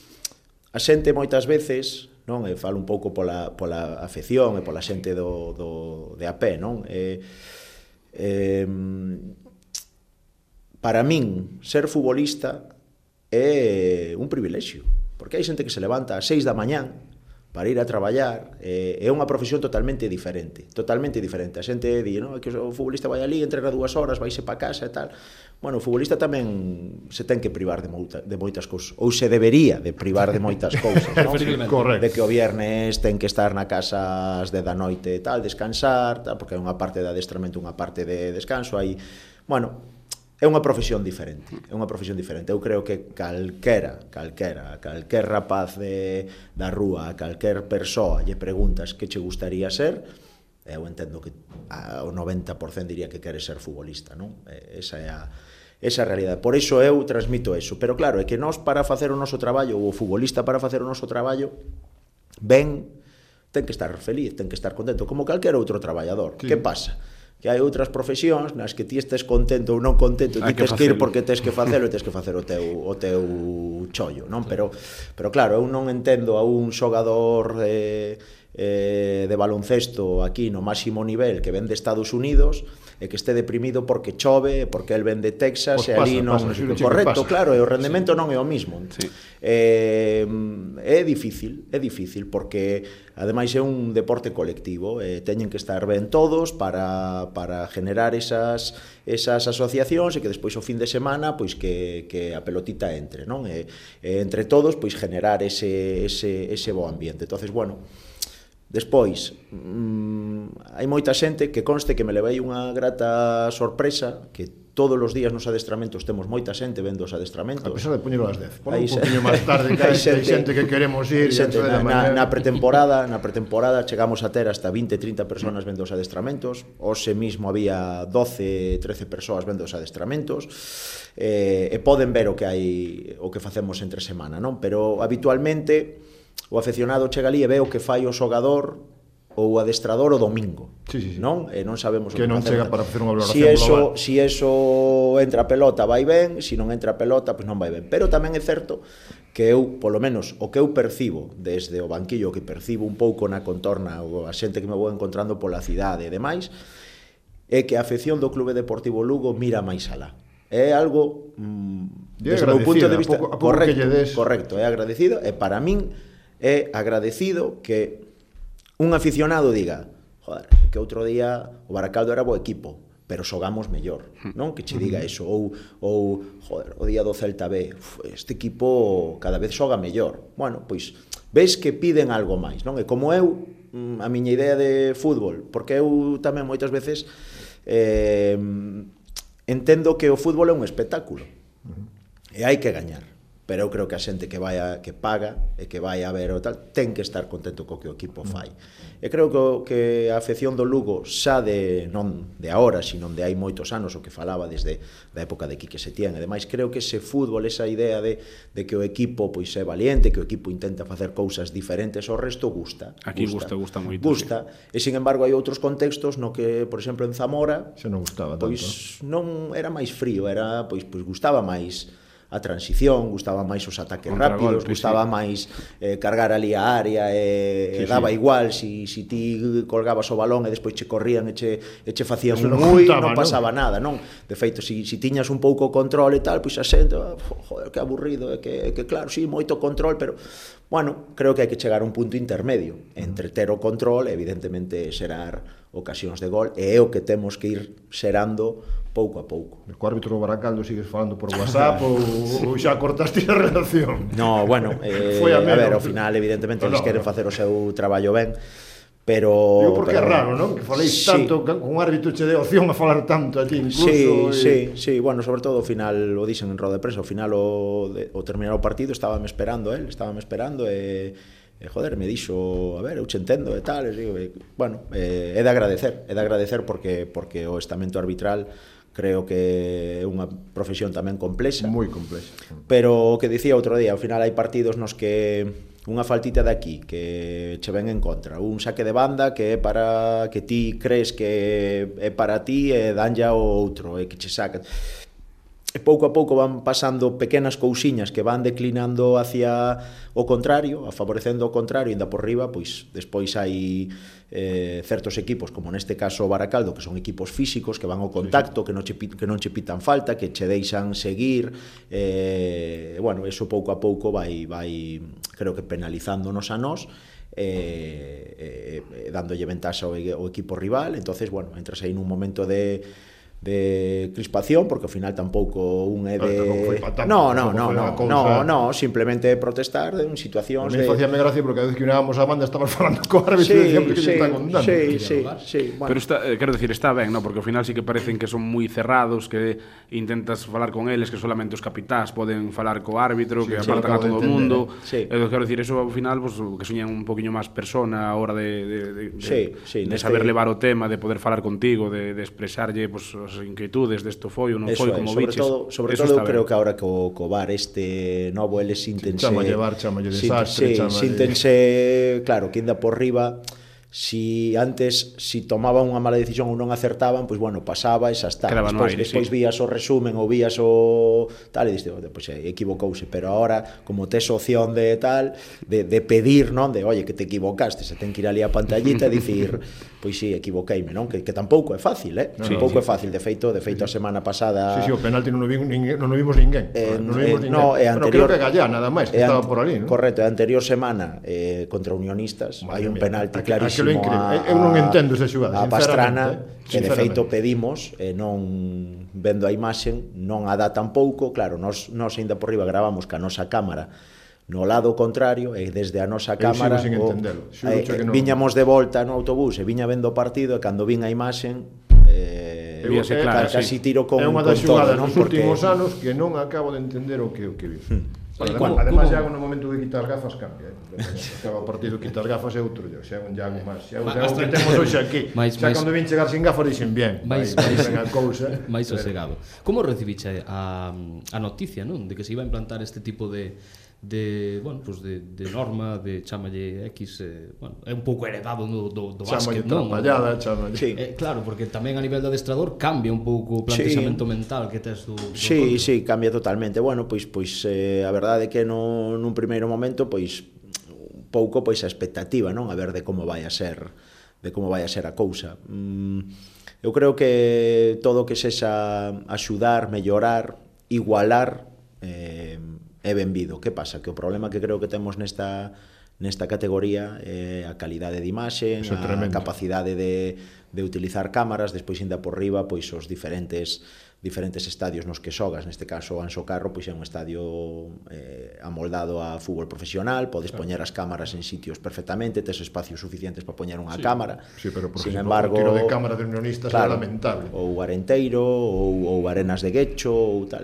a xente moitas veces, non? E falo un pouco pola afección e pola xente de a pé, non? Para min, ser futbolista é un privilexio, porque hai xente que se levanta ás 6 da mañán para ir a traballar, é unha profesión totalmente diferente. A xente di, no, que o futbolista vai ali, entrena 2 horas, vaise para casa e tal. Bueno, o futbolista tamén se ten que privar de moitas cousas, ou se debería de privar de moitas cousas, non? Correcto. De que o viernes ten que estar na casa ás 10 da noite e tal, descansar, tal, porque hai unha parte de adestramento, unha parte de descanso, hai, bueno, é unha profesión diferente, Eu creo que calquer rapaz da rúa, calquer persoa lle preguntas que che gustaría ser, eu entendo que o 90% diría que quere ser futbolista, non? Esa é a realidade. Por iso eu transmito eso. Pero claro, é que nós para facer o noso traballo, ou o futbolista para facer o noso traballo, ten que estar feliz, ten que estar contento, como calquer outro traballador. Sí. Que pasa? Que hai outras profesións nas que ti estés contento ou non contento, ti tens que ir porque tens que facelo e tens que facer o teu chollo, non? Pero claro, eu non entendo a un xogador de baloncesto aquí no máximo nivel que ven de Estados Unidos e que este deprimido porque chove, porque el ven de Texas e ali non... Correcto, claro, e o rendemento non é o mismo. Sí. É difícil porque ademais é un deporte colectivo, teñen que estar ben todos para generar esas asociacións e que despois o fin de semana pois que a pelotita entre, non? Entre todos pois generar ese bo ambiente. Entonces, bueno, despois, hai moita xente que conste que me levei unha grata sorpresa, que todos os días nos adestramentos temos moita xente vendo os adestramentos. A pesar de poñelo ás 10. Por un poquinho máis tarde, que hai xente que queremos ir. Na pretemporada chegamos a ter hasta 20-30 personas vendo os adestramentos. Hoxe mismo había 12-13 persoas vendo os adestramentos. E poden ver o que facemos entre semana, non? Pero habitualmente o afeccionado chega ali e ve o que fai o xogador ou o adestrador o domingo, sí. Non? E non sabemos que o que non chega para facer unha valoración global. Si eso entra a pelota vai ben, si non entra a pelota pois non vai ben. Pero tamén é certo que eu, polo menos, o que eu percibo desde o banquillo, o que percibo un pouco na contorna, ou a xente que me vou encontrando pola cidade e demais, é que a afección do Clube Deportivo Lugo mira máis alá. É algo desde o meu punto de vista correcto, é agradecido, e para min é agradecido que un aficionado diga, joder, que outro día o Baracaldo era bo equipo, pero xogamos mellor, non? Que che diga eso, ou joder, o día do Celta B, este equipo cada vez xoga mellor. Bueno, pois ves que piden algo máis, non? E como eu, a miña idea de fútbol, porque eu tamén moitas veces entendo que o fútbol é un espectáculo e hai que gañar. Pero eu creo que a xente que paga e que vai a ver o tal, ten que estar contento co que o equipo fai. E creo que a afección do Lugo xa non de agora, sino de hai moitos anos, o que falaba desde a época de Quique Setién e demais, creo que ese fútbol, esa idea de que o equipo pois é valiente, que o equipo intenta facer cousas diferentes ao resto, gusta. Aquí gusta moito. Gusta, e sin embargo hai outros contextos no que, por exemplo, en Zamora, xa non gustaba tanto. Pois non era máis frío, era pois gustaba máis a transición, gustaba máis os ataques rápidos, gustaba máis cargar ali a área e daba igual si ti colgabas o balón e despois che corrían e che facían un mui, non pasaba nada, non? De feito, si tiñas un pouco control e tal, pois a xente, joder, que aburrido, que claro, sí, moito control, pero bueno, creo que hai que chegar a un punto intermedio entre ter o control e evidentemente xerar ocasións de gol, e é o que temos que ir xerando pouco a pouco. E co árbitro do Baracaldo sigues falando por WhatsApp ou xa cortaste a relación? No, bueno, a ver, ao final evidentemente eles queren facer o seu traballo ben, pero... Digo porque é raro, non? Que faléis tanto, con un árbitro che de opción a falar tanto a ti incluso. Sí, bueno, sobre todo ao final, o dixen en roda de prensa, ao final o terminar o partido estábame esperando e joder, me dixo, a ver, eu che entendo e tal, e digo, bueno, é de agradecer porque o estamento arbitral creo que é unha profesión tamén complexa. Moi complexa. Pero o que dicía outro día, ao final hai partidos nos que unha faltita de aquí que che ven en contra, un saque de banda que é para que ti crees que é para ti e danlle ao outro e que che saca. pouco a pouco van pasando pequenas cousiñas que van declinando hacia o contrario, favorecendo o contrario, ainda por riba, pois despois hai certos equipos, como neste caso o Baracaldo, que son equipos físicos, que van ao contacto, que non che pitan falta, que che deixan seguir, bueno, eso pouco a pouco vai creo que penalizándonos a nós, dándolle ventaxa ao equipo rival. Entonces, bueno, entras aí nun momento de crispación, porque ao final tampouco un é de... No, simplemente protestar en situacións de... Facíame gracia porque a vez que unábamos a banda estamos falando co árbitro e dicíamos que lle está contando. Sí, bueno. Pero quero decir, está ben, ¿no? Porque ao final sí que parecen que son moi cerrados, que intentas falar con eles, que solamente os capitáns poden falar co árbitro, que apartan a todo o mundo. Quero decir, eso ao final, pues, que soñan un poquinho máis persona a hora de saber levar o tema, de poder falar contigo, de expresarlle, pues, as inquietudes desto foi ou non foi, como biches. Sobre todo, eu creo que agora co VAR este novo, eles síntense... Chamalle VAR, chamalle desastre, síntense, claro, que ainda por riba, si antes, si tomaban unha mala decisión ou non acertaban, pois, bueno, pasaba e xa está. Despois vías o resumen ou vías o tal, e diste, pois, equivocouse, pero ahora, como tes opción de tal, de pedir, non, de, oye, que te equivocaste, se ten que ir ali a pantallita e dicir, pois sí, equivoqueime, non? Que tampouco é fácil, tampouco é fácil, de feito a semana pasada... Sí, o penalti non o vimos ninguén. Creo que Gallá, nada máis, que estaba por ali, non? Correcto, a anterior semana, contra Unionistas, hai un penalti clarísimo eu non entendo esa xugada, a Pastrana, que de feito pedimos, non vendo a imaxen, non a dá tampouco. Claro, nos ainda por riba gravamos ca nosa cámara no lado contrario, e desde a nosa cámara viñamos de volta no autobús e viña vendo o partido, e cando vin a imaxen casi tiro con todo. É unha das xugadas nos últimos anos que non acabo de entender o que vi. Además, Iago no momento de quitar gafas cambia. Acaba o partido, quitas gafas e outro xa é un Iago máis. Xa é o que temos hoxe aquí. Xa cando vin chegar sin gafas dixen bien, máis sosegado. Como recibiche a noticia, non, de que se iba a implantar este tipo de norma, de chamalle X, é un pouco heredado do básquet, non? Chamalle. Claro, porque tamén a nivel de adestrador cambia un pouco o planteamento mental que tes do Sí, cambia totalmente. Bueno, pois a verdade é que nun primeiro momento, pois un pouco a expectativa, non? A ver de como vai a ser a cousa. Eu creo que todo o que sexa axudar, mellorar, igualar, é benvido. Que pasa? Que o problema que creo que temos nesta categoría é a calidade de imaxe, a capacidade de utilizar cámaras, despois ainda por riba, pois os diferentes estadios nos que xogas. Neste caso, o Anxo Carro, pois é un estadio amoldado a fútbol profesional, podes poñer as cámaras en sitios perfectamente, tes espacios suficientes para poñer unha cámara. Sí, pero por exemplo, o tiro de cámara de Unionistas é lamentable. Ou Arenteiro, ou Arenas de Guecho, ou tal,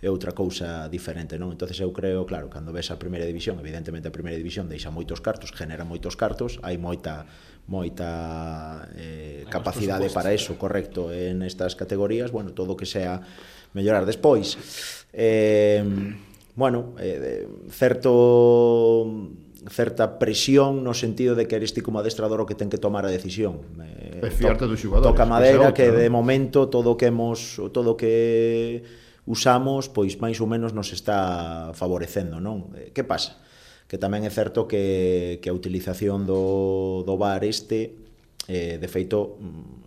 é outra cousa diferente, non? Entonces eu creo, claro, cando ves a primeira división, evidentemente a primeira división deixa moitos cartos, genera moitos cartos, hai moita capacidade para eso, correcto, en estas categorías, bueno, todo o que sea mellorar. Despois, certa presión no sentido de que eres ti como adestrador o que ten que tomar a decisión. Fiarte dos xogadores. Toca madeira que de momento todo o que usamos, pois máis ou menos nos está favorecendo, non? Que pasa? Que tamén é certo que a utilización do VAR de feito,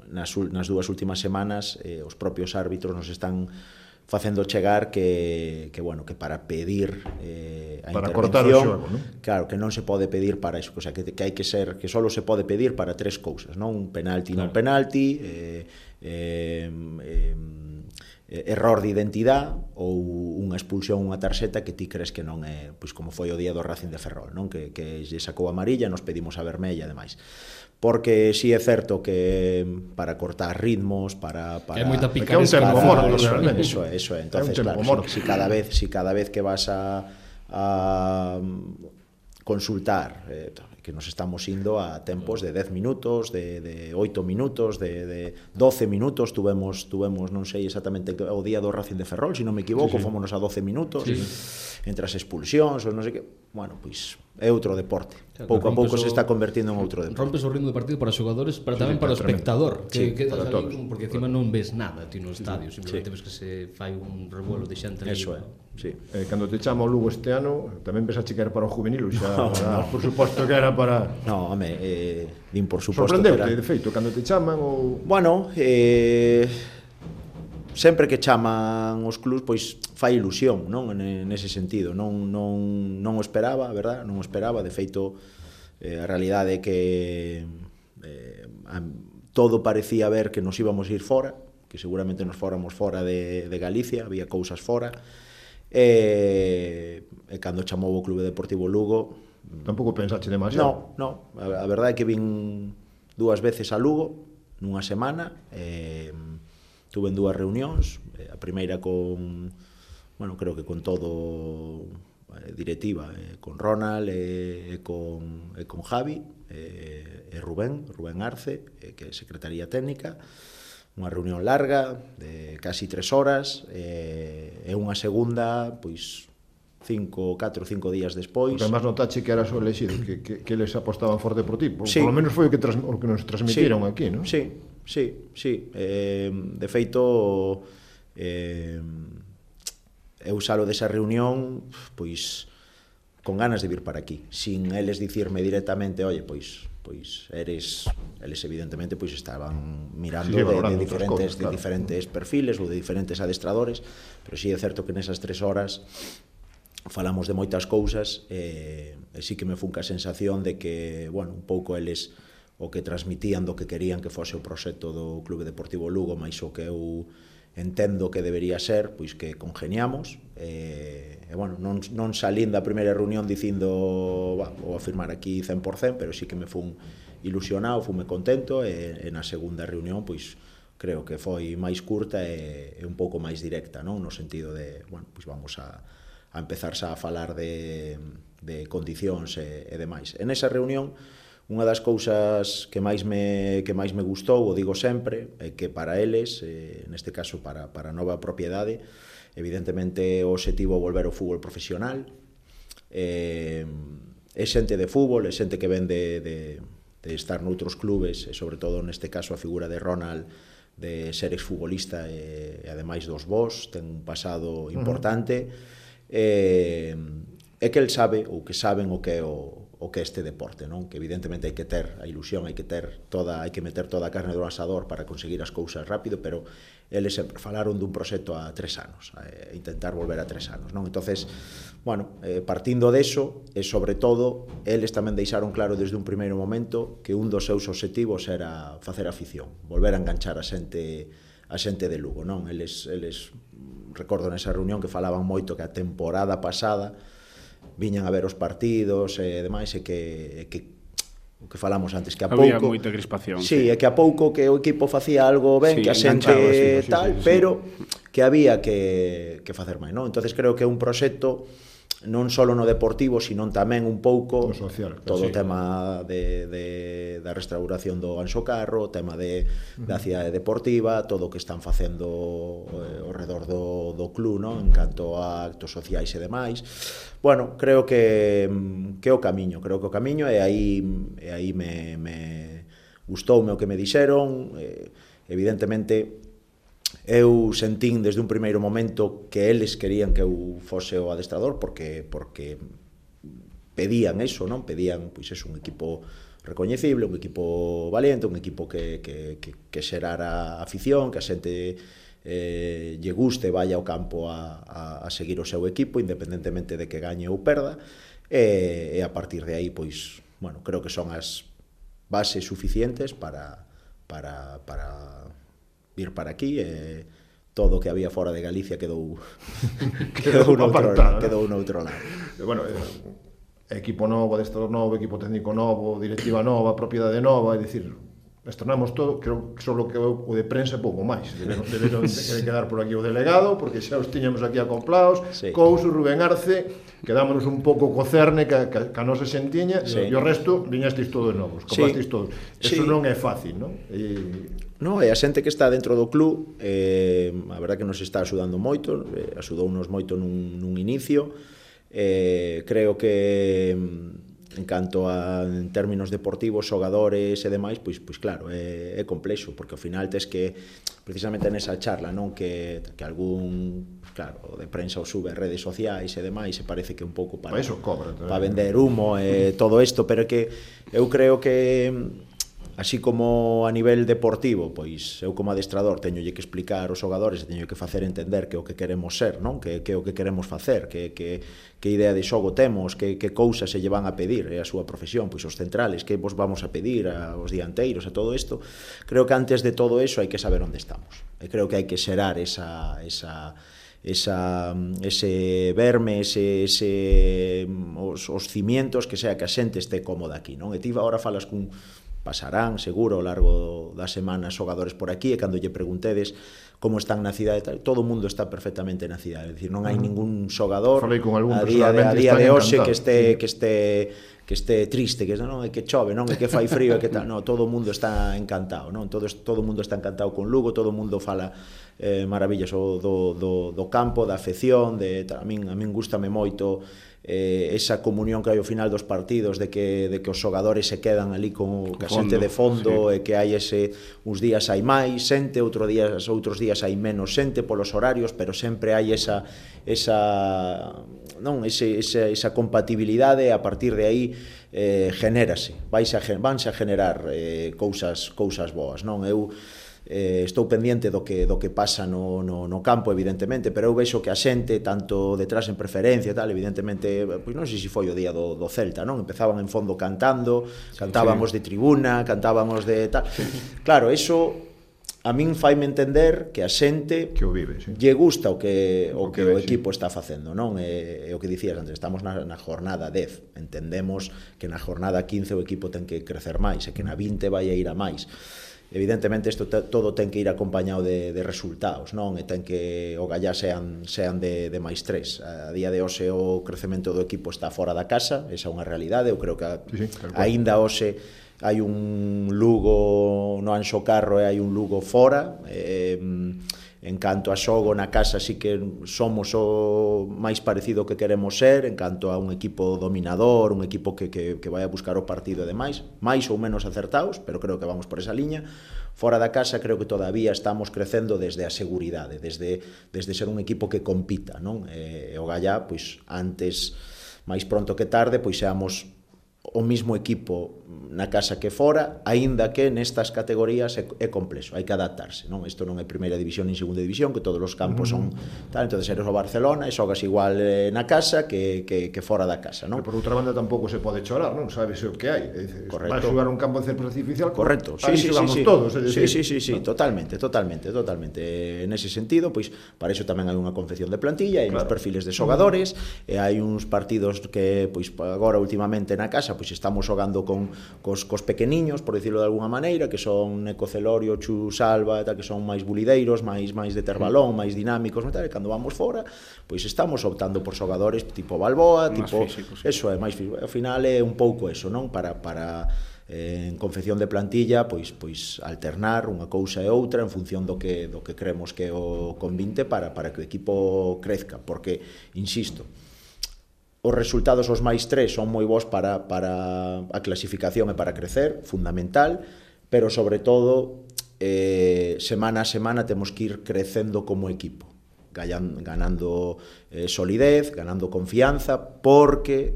nas dúas últimas semanas, os propios árbitros nos están facendo chegar que para pedir a para cortar o xogo, non? Claro, que non se pode pedir para iso, o sea, que hai que ser, que só se pode pedir para tres cousas, non? Un penalti, non penalti, error de identidade ou unha expulsión, unha tarxeta que ti crees que non é, pois como foi o día do Racing de Ferrol, non? Que lle sacou a amarilla, nos pedimos a vermella e demais. Porque si é certo que para cortar ritmos, para é moita picaresca, é un tempo morto, realmente. Eso é. Entonces, claro, si cada vez que vas a consultar, que nos estamos indo a tempos de 10 minutos, de 8 minutos, de 12 minutos, tuvemos non sei exactamente o día do Racing de Ferrol, se non me equivoco, fomos a 12 minutos, entre as expulsións, ou non sei que, bueno, pois é outro deporte. Pouco a pouco se está convertindo en outro deporte. Rompes o ritmo de partido para os xogadores, pero tamén para o espectador, que quedas ali, porque encima non ves nada ti no estadio, simplemente ves que se fai un revuelo de xente ali. Eso é, sí. Cando te chama o Lugo este ano, tamén pensaste que era para o juvenil, xa, por suposto que era para... No, home, din por suposto que era... Sorprendeute, de feito, cando te chaman ou... Bueno, sempre que chaman os clubs, pois fai ilusión, non? Nese sentido, non o esperaba, a verdad? Non o esperaba, de feito, a realidade é que todo parecía ver que nos íbamos a ir fora, que seguramente nos fóramos fora de Galicia, había cousas fora, e cando chamou o Clube Deportivo Lugo... Tampouco pensaste demasiado? No, a verdade é que vin 2 veces a Lugo, nunha semana, tuve en 2 reunións, a primeira con, bueno, creo que con todo directiva, con Ronald e con Javi, e Rubén Arce, que é Secretaría Técnica, unha reunión larga, de casi 3 horas, e unha segunda, pois, 4 ou 5 días despois. Porque además notache que era o elexido, que eles apostaban forte por ti, por lo menos foi o que nos transmitiron aquí, non? Sí. De feito, eu salo desa reunión pois con ganas de vir para aquí, sin eles dicirme directamente, oye, pois eles evidentemente pois estaban mirando de diferentes perfiles ou de diferentes adestradores, pero sí é certo que nesas 3 horas falamos de moitas cousas, e sí que me funca a sensación de que, bueno, un pouco eles o que transmitían do que querían que fose o proxecto do Clube Deportivo Lugo, máis o que eu entendo que debería ser, pois que congeniamos, e bueno, non salín da primeira reunión dicindo, vou afirmar aquí 100%, pero sí que me fun ilusionado, fume contento, e na segunda reunión, pois creo que foi máis curta e un pouco máis directa, non? No sentido de, bueno, pois vamos a empezarse a falar de condicións e demais. En esa reunión, unha das cousas que máis me gustou, o digo sempre, é que para eles, neste caso para a nova propiedade, evidentemente o obxectivo é volver ao fútbol profesional, é xente de fútbol, é xente que ven de estar noutros clubes, e sobre todo neste caso a figura de Ronald, de ser exfutbolista e ademais dos vos, ten un pasado importante, é que el sabe, ou que saben o que é o que este deporte, non? Que evidentemente hai que ter a ilusión, hai que meter toda a carne do asador para conseguir as cousas rápido, pero eles sempre falaron dun proxecto a 3 anos, a intentar volver a 3 anos, non? Entonces, bueno, partindo deso, e sobre todo, eles tamén deixaron claro desde un primeiro momento que un dos seus obxectivos era facer afición, volver a enganchar a xente de Lugo, non? Eles recordo nesa reunión que falaban moito que a temporada pasada viñan a ver os partidos e demais, e que o que falamos antes, que a pouco... Había moita crispación. Sí, é que a pouco que o equipo facía algo ben, que a xente tal, pero que había que facer máis, non? Entonces creo que é un proxecto non só no deportivo, sino tamén un pouco social, todo o tema da restauración do Anxo Carro, o tema da cidade deportiva, todo o que están facendo ao redor do club, non? En canto a actos sociais e demais. Bueno, creo que o camiño, e aí me gustoume o que me dixeron, evidentemente eu sentín desde un primeiro momento que eles querían que eu fose o adestrador porque pedían eso, non? Pedían, pois eso, un equipo recoñecible, un equipo valiente, un equipo que xerara afición, que a xente lle guste, vaya ao campo a seguir o seu equipo, independentemente de que gañe ou perda, e a partir de aí, pois, bueno, creo que son as bases suficientes para vir para aquí, e todo o que había fora de Galicia quedou noutro lado. Bueno, equipo novo, adestrador novo, equipo técnico novo, directiva nova, propiedade nova, é dicir, estrenamos todo, creo que só que o de prensa pouco máis, deberon quedar por aquí o delegado, porque xa os tiñamos aquí acoplados, Couso, Rubén Arce, quedámonos un pouco co cerne que a nosa xentiña, e o resto viñastes todos novos, compastes todos. Eso non é fácil, non? No, e a xente que está dentro do club, a verdad que nos está axudando moito, axudounos moito nun inicio, creo que en canto a en términos deportivos, xogadores e demais, pois claro, é complexo, porque ao final tes que, precisamente nesa charla, non, que algún, claro, de prensa o sube a redes sociais e demais, e parece que un pouco para eso cobra, para vender humo e todo isto, pero que eu creo que así como a nivel deportivo, pois eu como adestrador teñolle que explicar aos xogadores e teño que facer entender que o que queremos ser, non? Que o que queremos facer, que idea de xogo temos, que cousas se lle van a pedir, é a súa profesión, pois os centrales, que vos vamos a pedir aos dianteiros, a todo isto. Creo que antes de todo eso hai que saber onde estamos. E creo que hai que xerar ese verme, os cimientos que sea que a xente este cómoda aquí, non? E ti agora falas cun pasarán, seguro, ao largo da semana xogadores por aquí, e cando lle preguntedes como están na cidade, todo o mundo está perfectamente na cidade, é dicir, non hai ningún xogador a día de hoxe que este triste, que non é que chove, non é que fai frío, é que tal, non, todo o mundo está encantado, non? Todo o mundo está encantado con Lugo, todo o mundo fala maravillas do campo, da afección, a min gústame moito esa comunión que hai ao final dos partidos, de que os xogadores se quedan ali con a xente de fondo, e que hai uns días hai máis xente, outros días hai menos xente polos horarios, pero sempre hai esa compatibilidade, e a partir de aí vanse a generar cousas boas, non? Eu estou pendiente do que pasa no campo, evidentemente, pero eu vexo que a xente, tanto detrás en preferencia e tal, evidentemente, pois non sei se foi o día do Celta, non? Empezaban en fondo cantábamos de tribuna, cantábamos de tal. Claro, eso a min faime entender que a xente que o vive, lle gusta o que o equipo está facendo, non? E o que dicías antes, estamos na jornada 10, entendemos que na jornada 15 o equipo ten que crecer máis, e que na 20 vai a ir a máis. Evidentemente isto todo ten que ir acompañado de resultados, non? E ten que o gallá sean de máis 3. A día de hoxe o crecemento do equipo está fora da casa, esa é unha realidade. Eu creo que aínda hoxe hai un Lugo no Anxo Carro e hai un Lugo fora. En canto a xogo na casa, sí que somos o máis parecido que queremos ser, en canto a un equipo dominador, un equipo que vai a buscar o partido e demais, máis ou menos acertados, pero creo que vamos por esa liña. Fora da casa creo que todavía estamos crecendo desde a seguridade, desde ser un equipo que compita, non? E o gallá, pois antes, máis pronto que tarde, pois seamos o mismo equipo na casa que fora, aínda que nestas categorías é complexo, hai que adaptarse, non? Isto non é primeira división nin segunda división, que todos os campos son tal, entonces eres o Barcelona e xogas igual na casa que fora da casa, non? Pero por outra banda tampouco se pode chorar, non? Sabes o que hai. Correcto. Vai xogar un campo de césped artificial, correcto. Aí xogamos todos, sí, totalmente. Nese sentido, pois para iso tamén hai unha confección de plantilla, hai uns perfiles de xogadores, e hai uns partidos que pois agora últimamente na casa pois estamos xogando cos pequeniños, por dicirlo de alguna maneira, que son Neco Celorio, Chu Salva, que son máis bulideiros, máis de ter balón, máis dinámicos, e cando vamos fora, pois estamos optando por xogadores tipo Balboa, tipo físicos, eso é máis físico. Ao final é un pouco eso, non? Para en confección de plantilla, pois alternar unha cousa e outra en función do que creemos que o convinte para que o equipo crezca, porque insisto, os resultados os máis 3 son moi bons para a clasificación e para crecer, fundamental, pero sobre todo semana a semana temos que ir crecendo como equipo, ganando solidez, ganando confianza, porque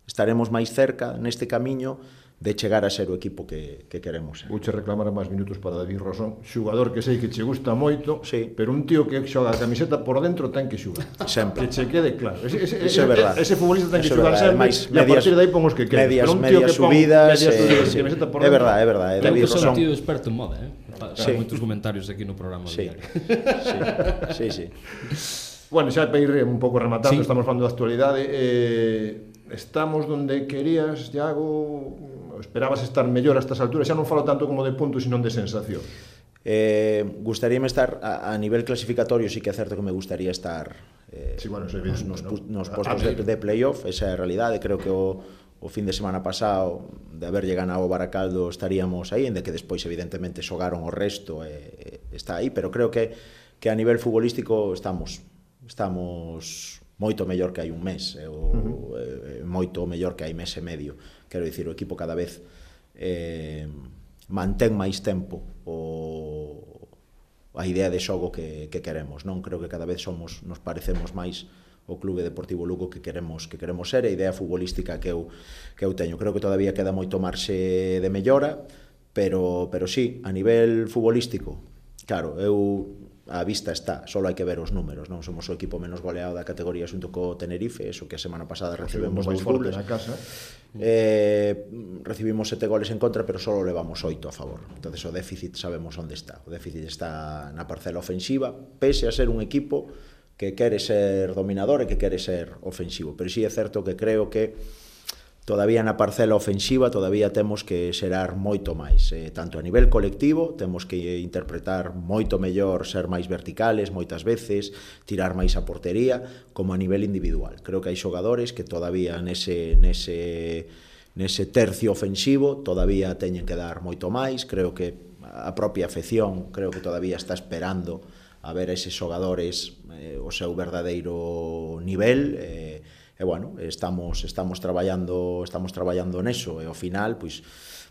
estaremos máis cerca neste camiño de chegar a ser o equipo que queremos ser. Vouche reclamar máis minutos para David Rosón, xugador que sei que che gusta moito, sí, pero un tío que xoga a camiseta por dentro ten que xugar. Sempre. Que che quede claro. Ese é verdade. Ese futbolista ten que xugar sempre, e a partir de aí pon os que quede. Medias subidas, é verdade. David Rosón. É un tío experto en moda, Para moitos comentarios aquí no programa. Sí. Bueno, xa para ir un pouco rematando, estamos falando da actualidade, estamos donde querías, Iago, esperabas estar mellor a estas alturas, xa non falo tanto como de puntos, sino de sensación. Gustaríame estar a nivel clasificatorio, sí que é certo que me gustaría estar nos postos de playoff, esa é a realidade. Creo que o fin de semana pasado, de haberlle ganado o Baracaldo, estaríamos aí, de que despois evidentemente xogaron o resto, está aí, pero creo que a nivel futbolístico estamos moito mellor que hai un mes, moito mellor que hai mes e medio. Quero dicir, o equipo cada vez mantén máis tempo a idea de xogo que queremos, non? Creo que cada vez nos parecemos máis o Clube Deportivo Lugo que queremos ser, a idea futbolística que eu teño. Creo que todavía queda moito marxe de mellora, pero sí, a nivel futbolístico, claro, a vista está, só hai que ver os números, non? Somos o equipo menos goleado da categoría xunto co Tenerife, eso que a semana pasada recibimos 2 goles. Recibimos 7 goles en contra, pero só levamos 8 a favor. Entonces o déficit sabemos onde está. O déficit está na parcela ofensiva, pese a ser un equipo que quere ser dominador e que quere ser ofensivo. Pero sí é certo que creo que todavía na parcela ofensiva todavía temos que xerar moito máis, tanto a nivel colectivo, temos que interpretar moito mellor, ser máis verticales moitas veces, tirar máis a portería, como a nivel individual. Creo que hai xogadores que todavía nese tercio ofensivo todavía teñen que dar moito máis. Creo que a propia afección creo que todavía está esperando a ver a eses xogadores o seu verdadeiro nivel, bueno, estamos traballando neso, e ao final, pois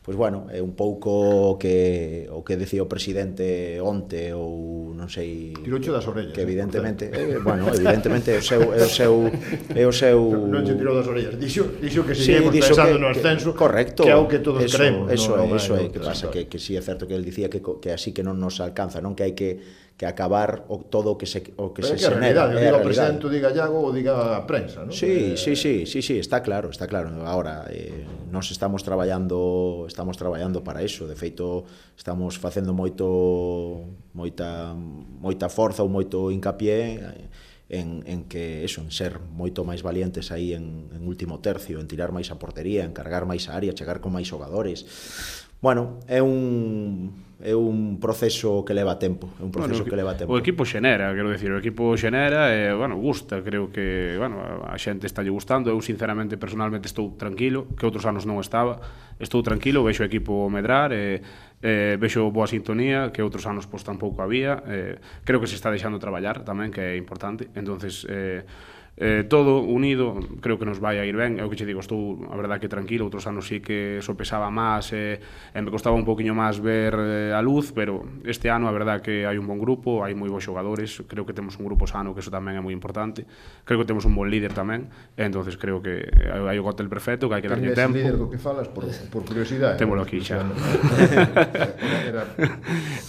bueno, é un pouco o que decía o presidente onte, ou non sei... Tiroucho das orellas. Que evidentemente, bueno, evidentemente é o seu... Non se tirou das orellas, dixo que seguimos pensando no ascenso, correcto, que é o que todos creemos. Eso é, que pasa, que si é certo que el dicía que así que non nos alcanza, non? Que hai que acabar todo o que se xenera. Pero é que a realidade, diga o presidente, diga Iago ou diga a prensa, non? Sí, está claro. Agora, nós estamos traballando para iso. De feito, estamos facendo moita forza ou moito hincapié en que eso, en ser moito máis valientes aí en último tercio, en tirar máis a portería, en cargar máis a área, chegar con máis xogadores. Bueno, é un proceso que leva tempo, O equipo xenera, quero dicir, o equipo xenera e, bueno, gusta, creo que, bueno, a xente está lle gustando. Eu, sinceramente, personalmente estou tranquilo, que outros anos non estaba. Estou tranquilo, vexo o equipo medrar, vexo boa sintonía, que outros anos pois tampouco había. Creo que se está deixando traballar tamén, que é importante. Entonces, todo unido, creo que nos vai a ir ben. É o que che digo, estou, a verdade, que tranquilo. Outros anos sí que sopesaba máis e me costaba un poquinho máis ver a luz, pero este ano a verdade que hai un bon grupo, hai moi bons xogadores. Creo que temos un grupo sano, que eso tamén é moi importante. Creo que temos un bon líder tamén, entonces creo que hai o cóctel perfecto, que hai que darlle tempo. Ese líder do que falas, por curiosidade? Témolo aquí xa.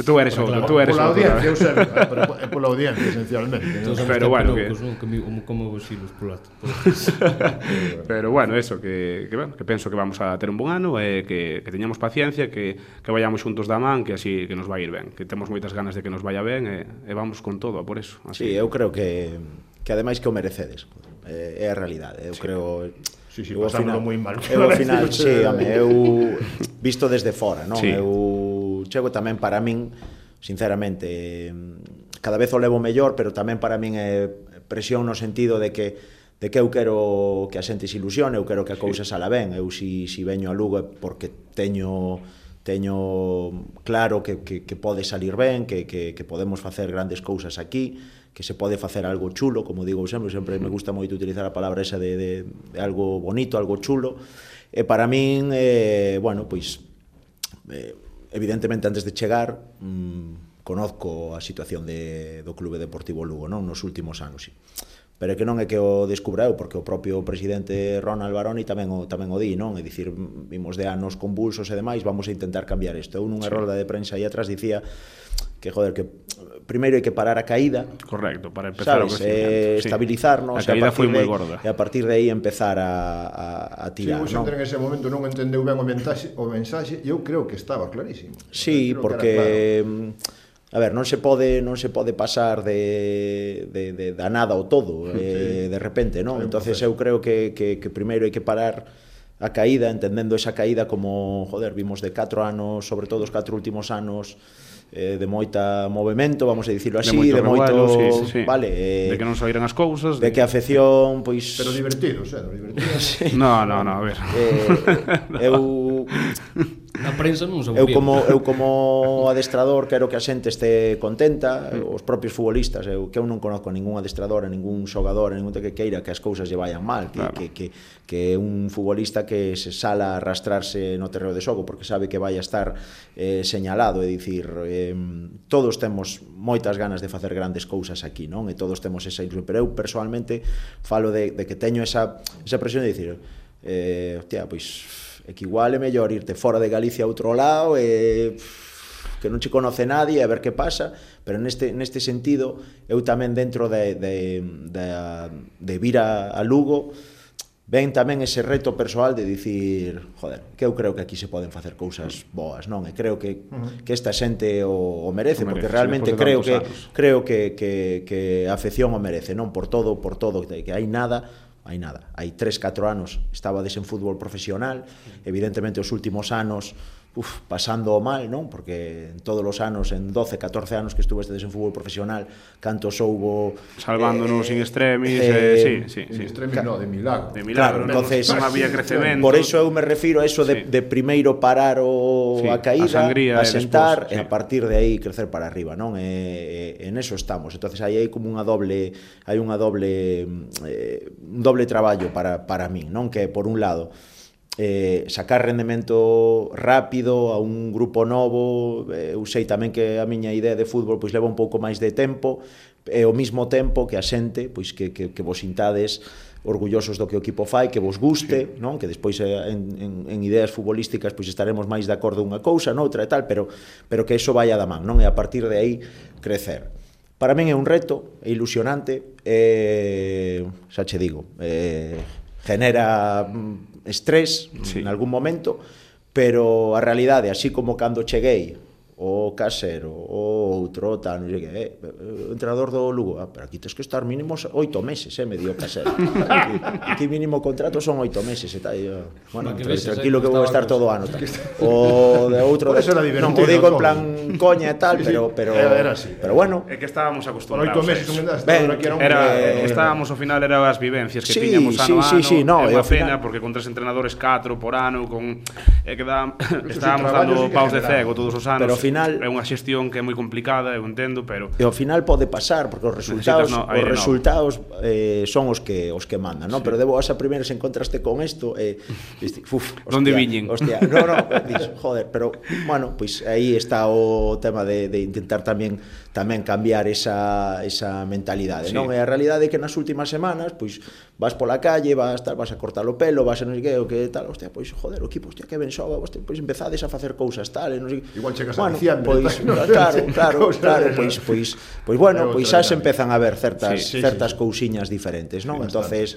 Tú eres outro, tú eres outro. Pola audiencia, eu sei, pola audiencia, esencialmente. Pero bueno, como silos polato. Pero bueno, eso, que penso que vamos a ter un bon ano, que teñamos paciencia, que vayamos xuntos da man, que así que nos vai ir ben, que temos moitas ganas de que nos vaya ben, e vamos con todo, por eso. Sí, eu creo que ademais que o merecedes, é a realidade. Eu creo... Sí, pasámoslo moi mal. Eu ao final, sí, eu visto desde fora, non? Eu chego tamén para min, sinceramente, cada vez o levo mellor, pero tamén para min é presión no sentido de que eu quero que a xente se ilusione, eu quero que a cousa sala ben. Eu si veño a Lugo é porque teño claro que pode salir ben, que podemos facer grandes cousas aquí, que se pode facer algo chulo, como digo sempre me gusta moito utilizar a palabra esa de algo bonito, algo chulo. E para min, bueno, pois evidentemente antes de chegar conozco a situación do Clube Deportivo Lugo, non, nos últimos anos, sí. Pero é que non é que o descubra eu, porque o propio presidente Ronald Baroni tamén o di, non? É dicir, vimos de anos convulsos e demais, vamos a intentar cambiar isto. Eu nunha rolda de prensa aí atrás dicía que, joder, que primeiro hai que parar a caída. Correcto, para empezar o crecimiento. Estabilizarnos. A caída foi moi gorda. E a partir de aí empezar a tirar, non? En ese momento non entendeu ben o mensaxe, e eu creo que estaba clarísimo. Sí, porque... A ver, non se pode pasar de nada ao todo, de repente, non? Entonces eu creo que primeiro hai que parar a caída, entendendo esa caída como, joder, vimos de 4 anos, sobre todo os 4 últimos anos, de moita movimento, vamos a dicirlo así, de moito, sí. Vale, de que non saíran as cousas, de que a afección, pois... Pero divertidos, divertidos. No, a ver. Na prensa non se eu como adestrador quero que a xente este contenta, os propios futbolistas, eu non conozco a ningún adestrador, a ningún xogador, a ningún que queira que as cousas lle vayan mal, que un futbolista que se sala a arrastrarse no terreo de xogo porque sabe que vai a estar señalado, é dicir, todos temos moitas ganas de facer grandes cousas aquí, non? E todos temos esa ilusión, pero eu personalmente falo de que teño esa presión de dicir, hostia, pois é que igual é mellor irte fora de Galicia a outro lado que non che conoce nadie a ver que pasa, pero neste sentido eu tamén dentro de vir a Lugo ven tamén ese reto persoal de dicir, joder, que eu creo que aquí se poden facer cousas boas, non? E creo que esta xente o merece, porque realmente creo que a afección o merece, non? Por todo, que hai nada, hai 3-4 anos estabades en fútbol profesional, evidentemente os últimos anos pasando mal, non? Porque en todos os anos, en 12-14 anos que estuvestes en fútbol profesional, cantos houbo salvándonos in extremis, sí. In extremis no, de milagro. Claro, entonces non había crecemento. Por eso eu me refiro a eso de primeiro parar a caída, a sentar e a partir de aí crecer para arriba, non? En eso estamos. Entonces aí hai como un doble traballo para min, non? Que por un lado sacar rendemento rápido a un grupo novo, eu sei tamén que a miña idea de fútbol pois leva un pouco máis de tempo, e ao mesmo tempo que a xente pois que vos sintades orgullosos do que o equipo fai, que vos guste, non? Que despois en ideas futbolísticas pois estaremos máis de acordo unha cousa, noutra e tal, pero que iso vaya da man, non? E a partir de aí crecer. Para min é un reto, é ilusionante, xa che digo, genera estrés en algún momento, pero a realidade, así como cando cheguei o Casero, o outro, tal, non sei que, o entrenador do Lugo, pero aquí tens que estar mínimo 8 meses, me dio Casero. Aquí mínimo contrato son 8 meses, e tal, bueno, tranquilo que vou estar todo o ano, tal. O de outro, non o digo en plan coña e tal, pero bueno. É que estábamos acostumbrados. 8 meses, estábamos, ao final, eran as vivencias que tiñamos ano a ano, é unha pena, porque con 3 entrenadores 4 por ano, estábamos dando paus de cego todos os anos. Final, é unha xestión que é moi complicada, eu entendo, pero e ao final pode pasar porque os resultados son os que mandan, non? Sí. Pero de boas a primeira se encontraste con isto onde viñen? Hostia, no, dis, joder, pero bueno, pois aí está o tema de intentar tamén cambiar esa mentalidade, sí. Non? E a realidade é que nas últimas semanas, pois vas pola calle, vas a cortar o pelo, vas a non sei que, o que tal, hostia, pois joder, o equipo, hostia, que ben xoga, pois empezades a facer cousas tal, non sei. Igual chegas a diciembre. Pois claro, pois bueno, pois xa se empezan a ver certas cousiñas diferentes, non? Entonces,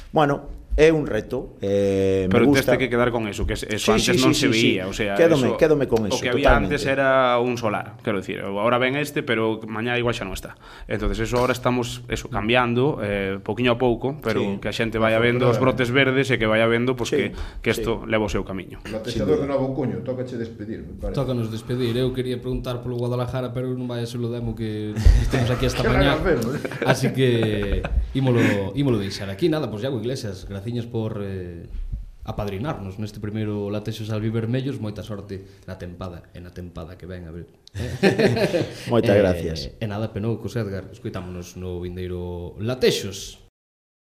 bueno, é un reto, pero teste que quedar con eso, que eso antes non se veía, o sea, quédome con eso. O que había antes era un solar, quero dicir, agora ven pero mañá igual xa non está. Entonces eso ahora estamos cambiando pouquiño a pouco, pero que a xente vaya vendo os brotes verdes e que vaya vendo pois que isto leva o seu camiño. O atexador de Novo Cuño, tócache despedir, me parece. Tócanos despedir. Eu quería preguntar polo Guadalajara, pero non vai a ser o demo que estamos aquí esta mañá. Así que ímolo deixar aquí. Nada, pois Iago Iglesias, graciñas por apadrinarnos neste primeiro Latexos albivermellos. Moita sorte na tempada que ven a ver. Moitas gracias. E nada, Penoucos, Edgar, escoitámonos no vindeiro Latexos.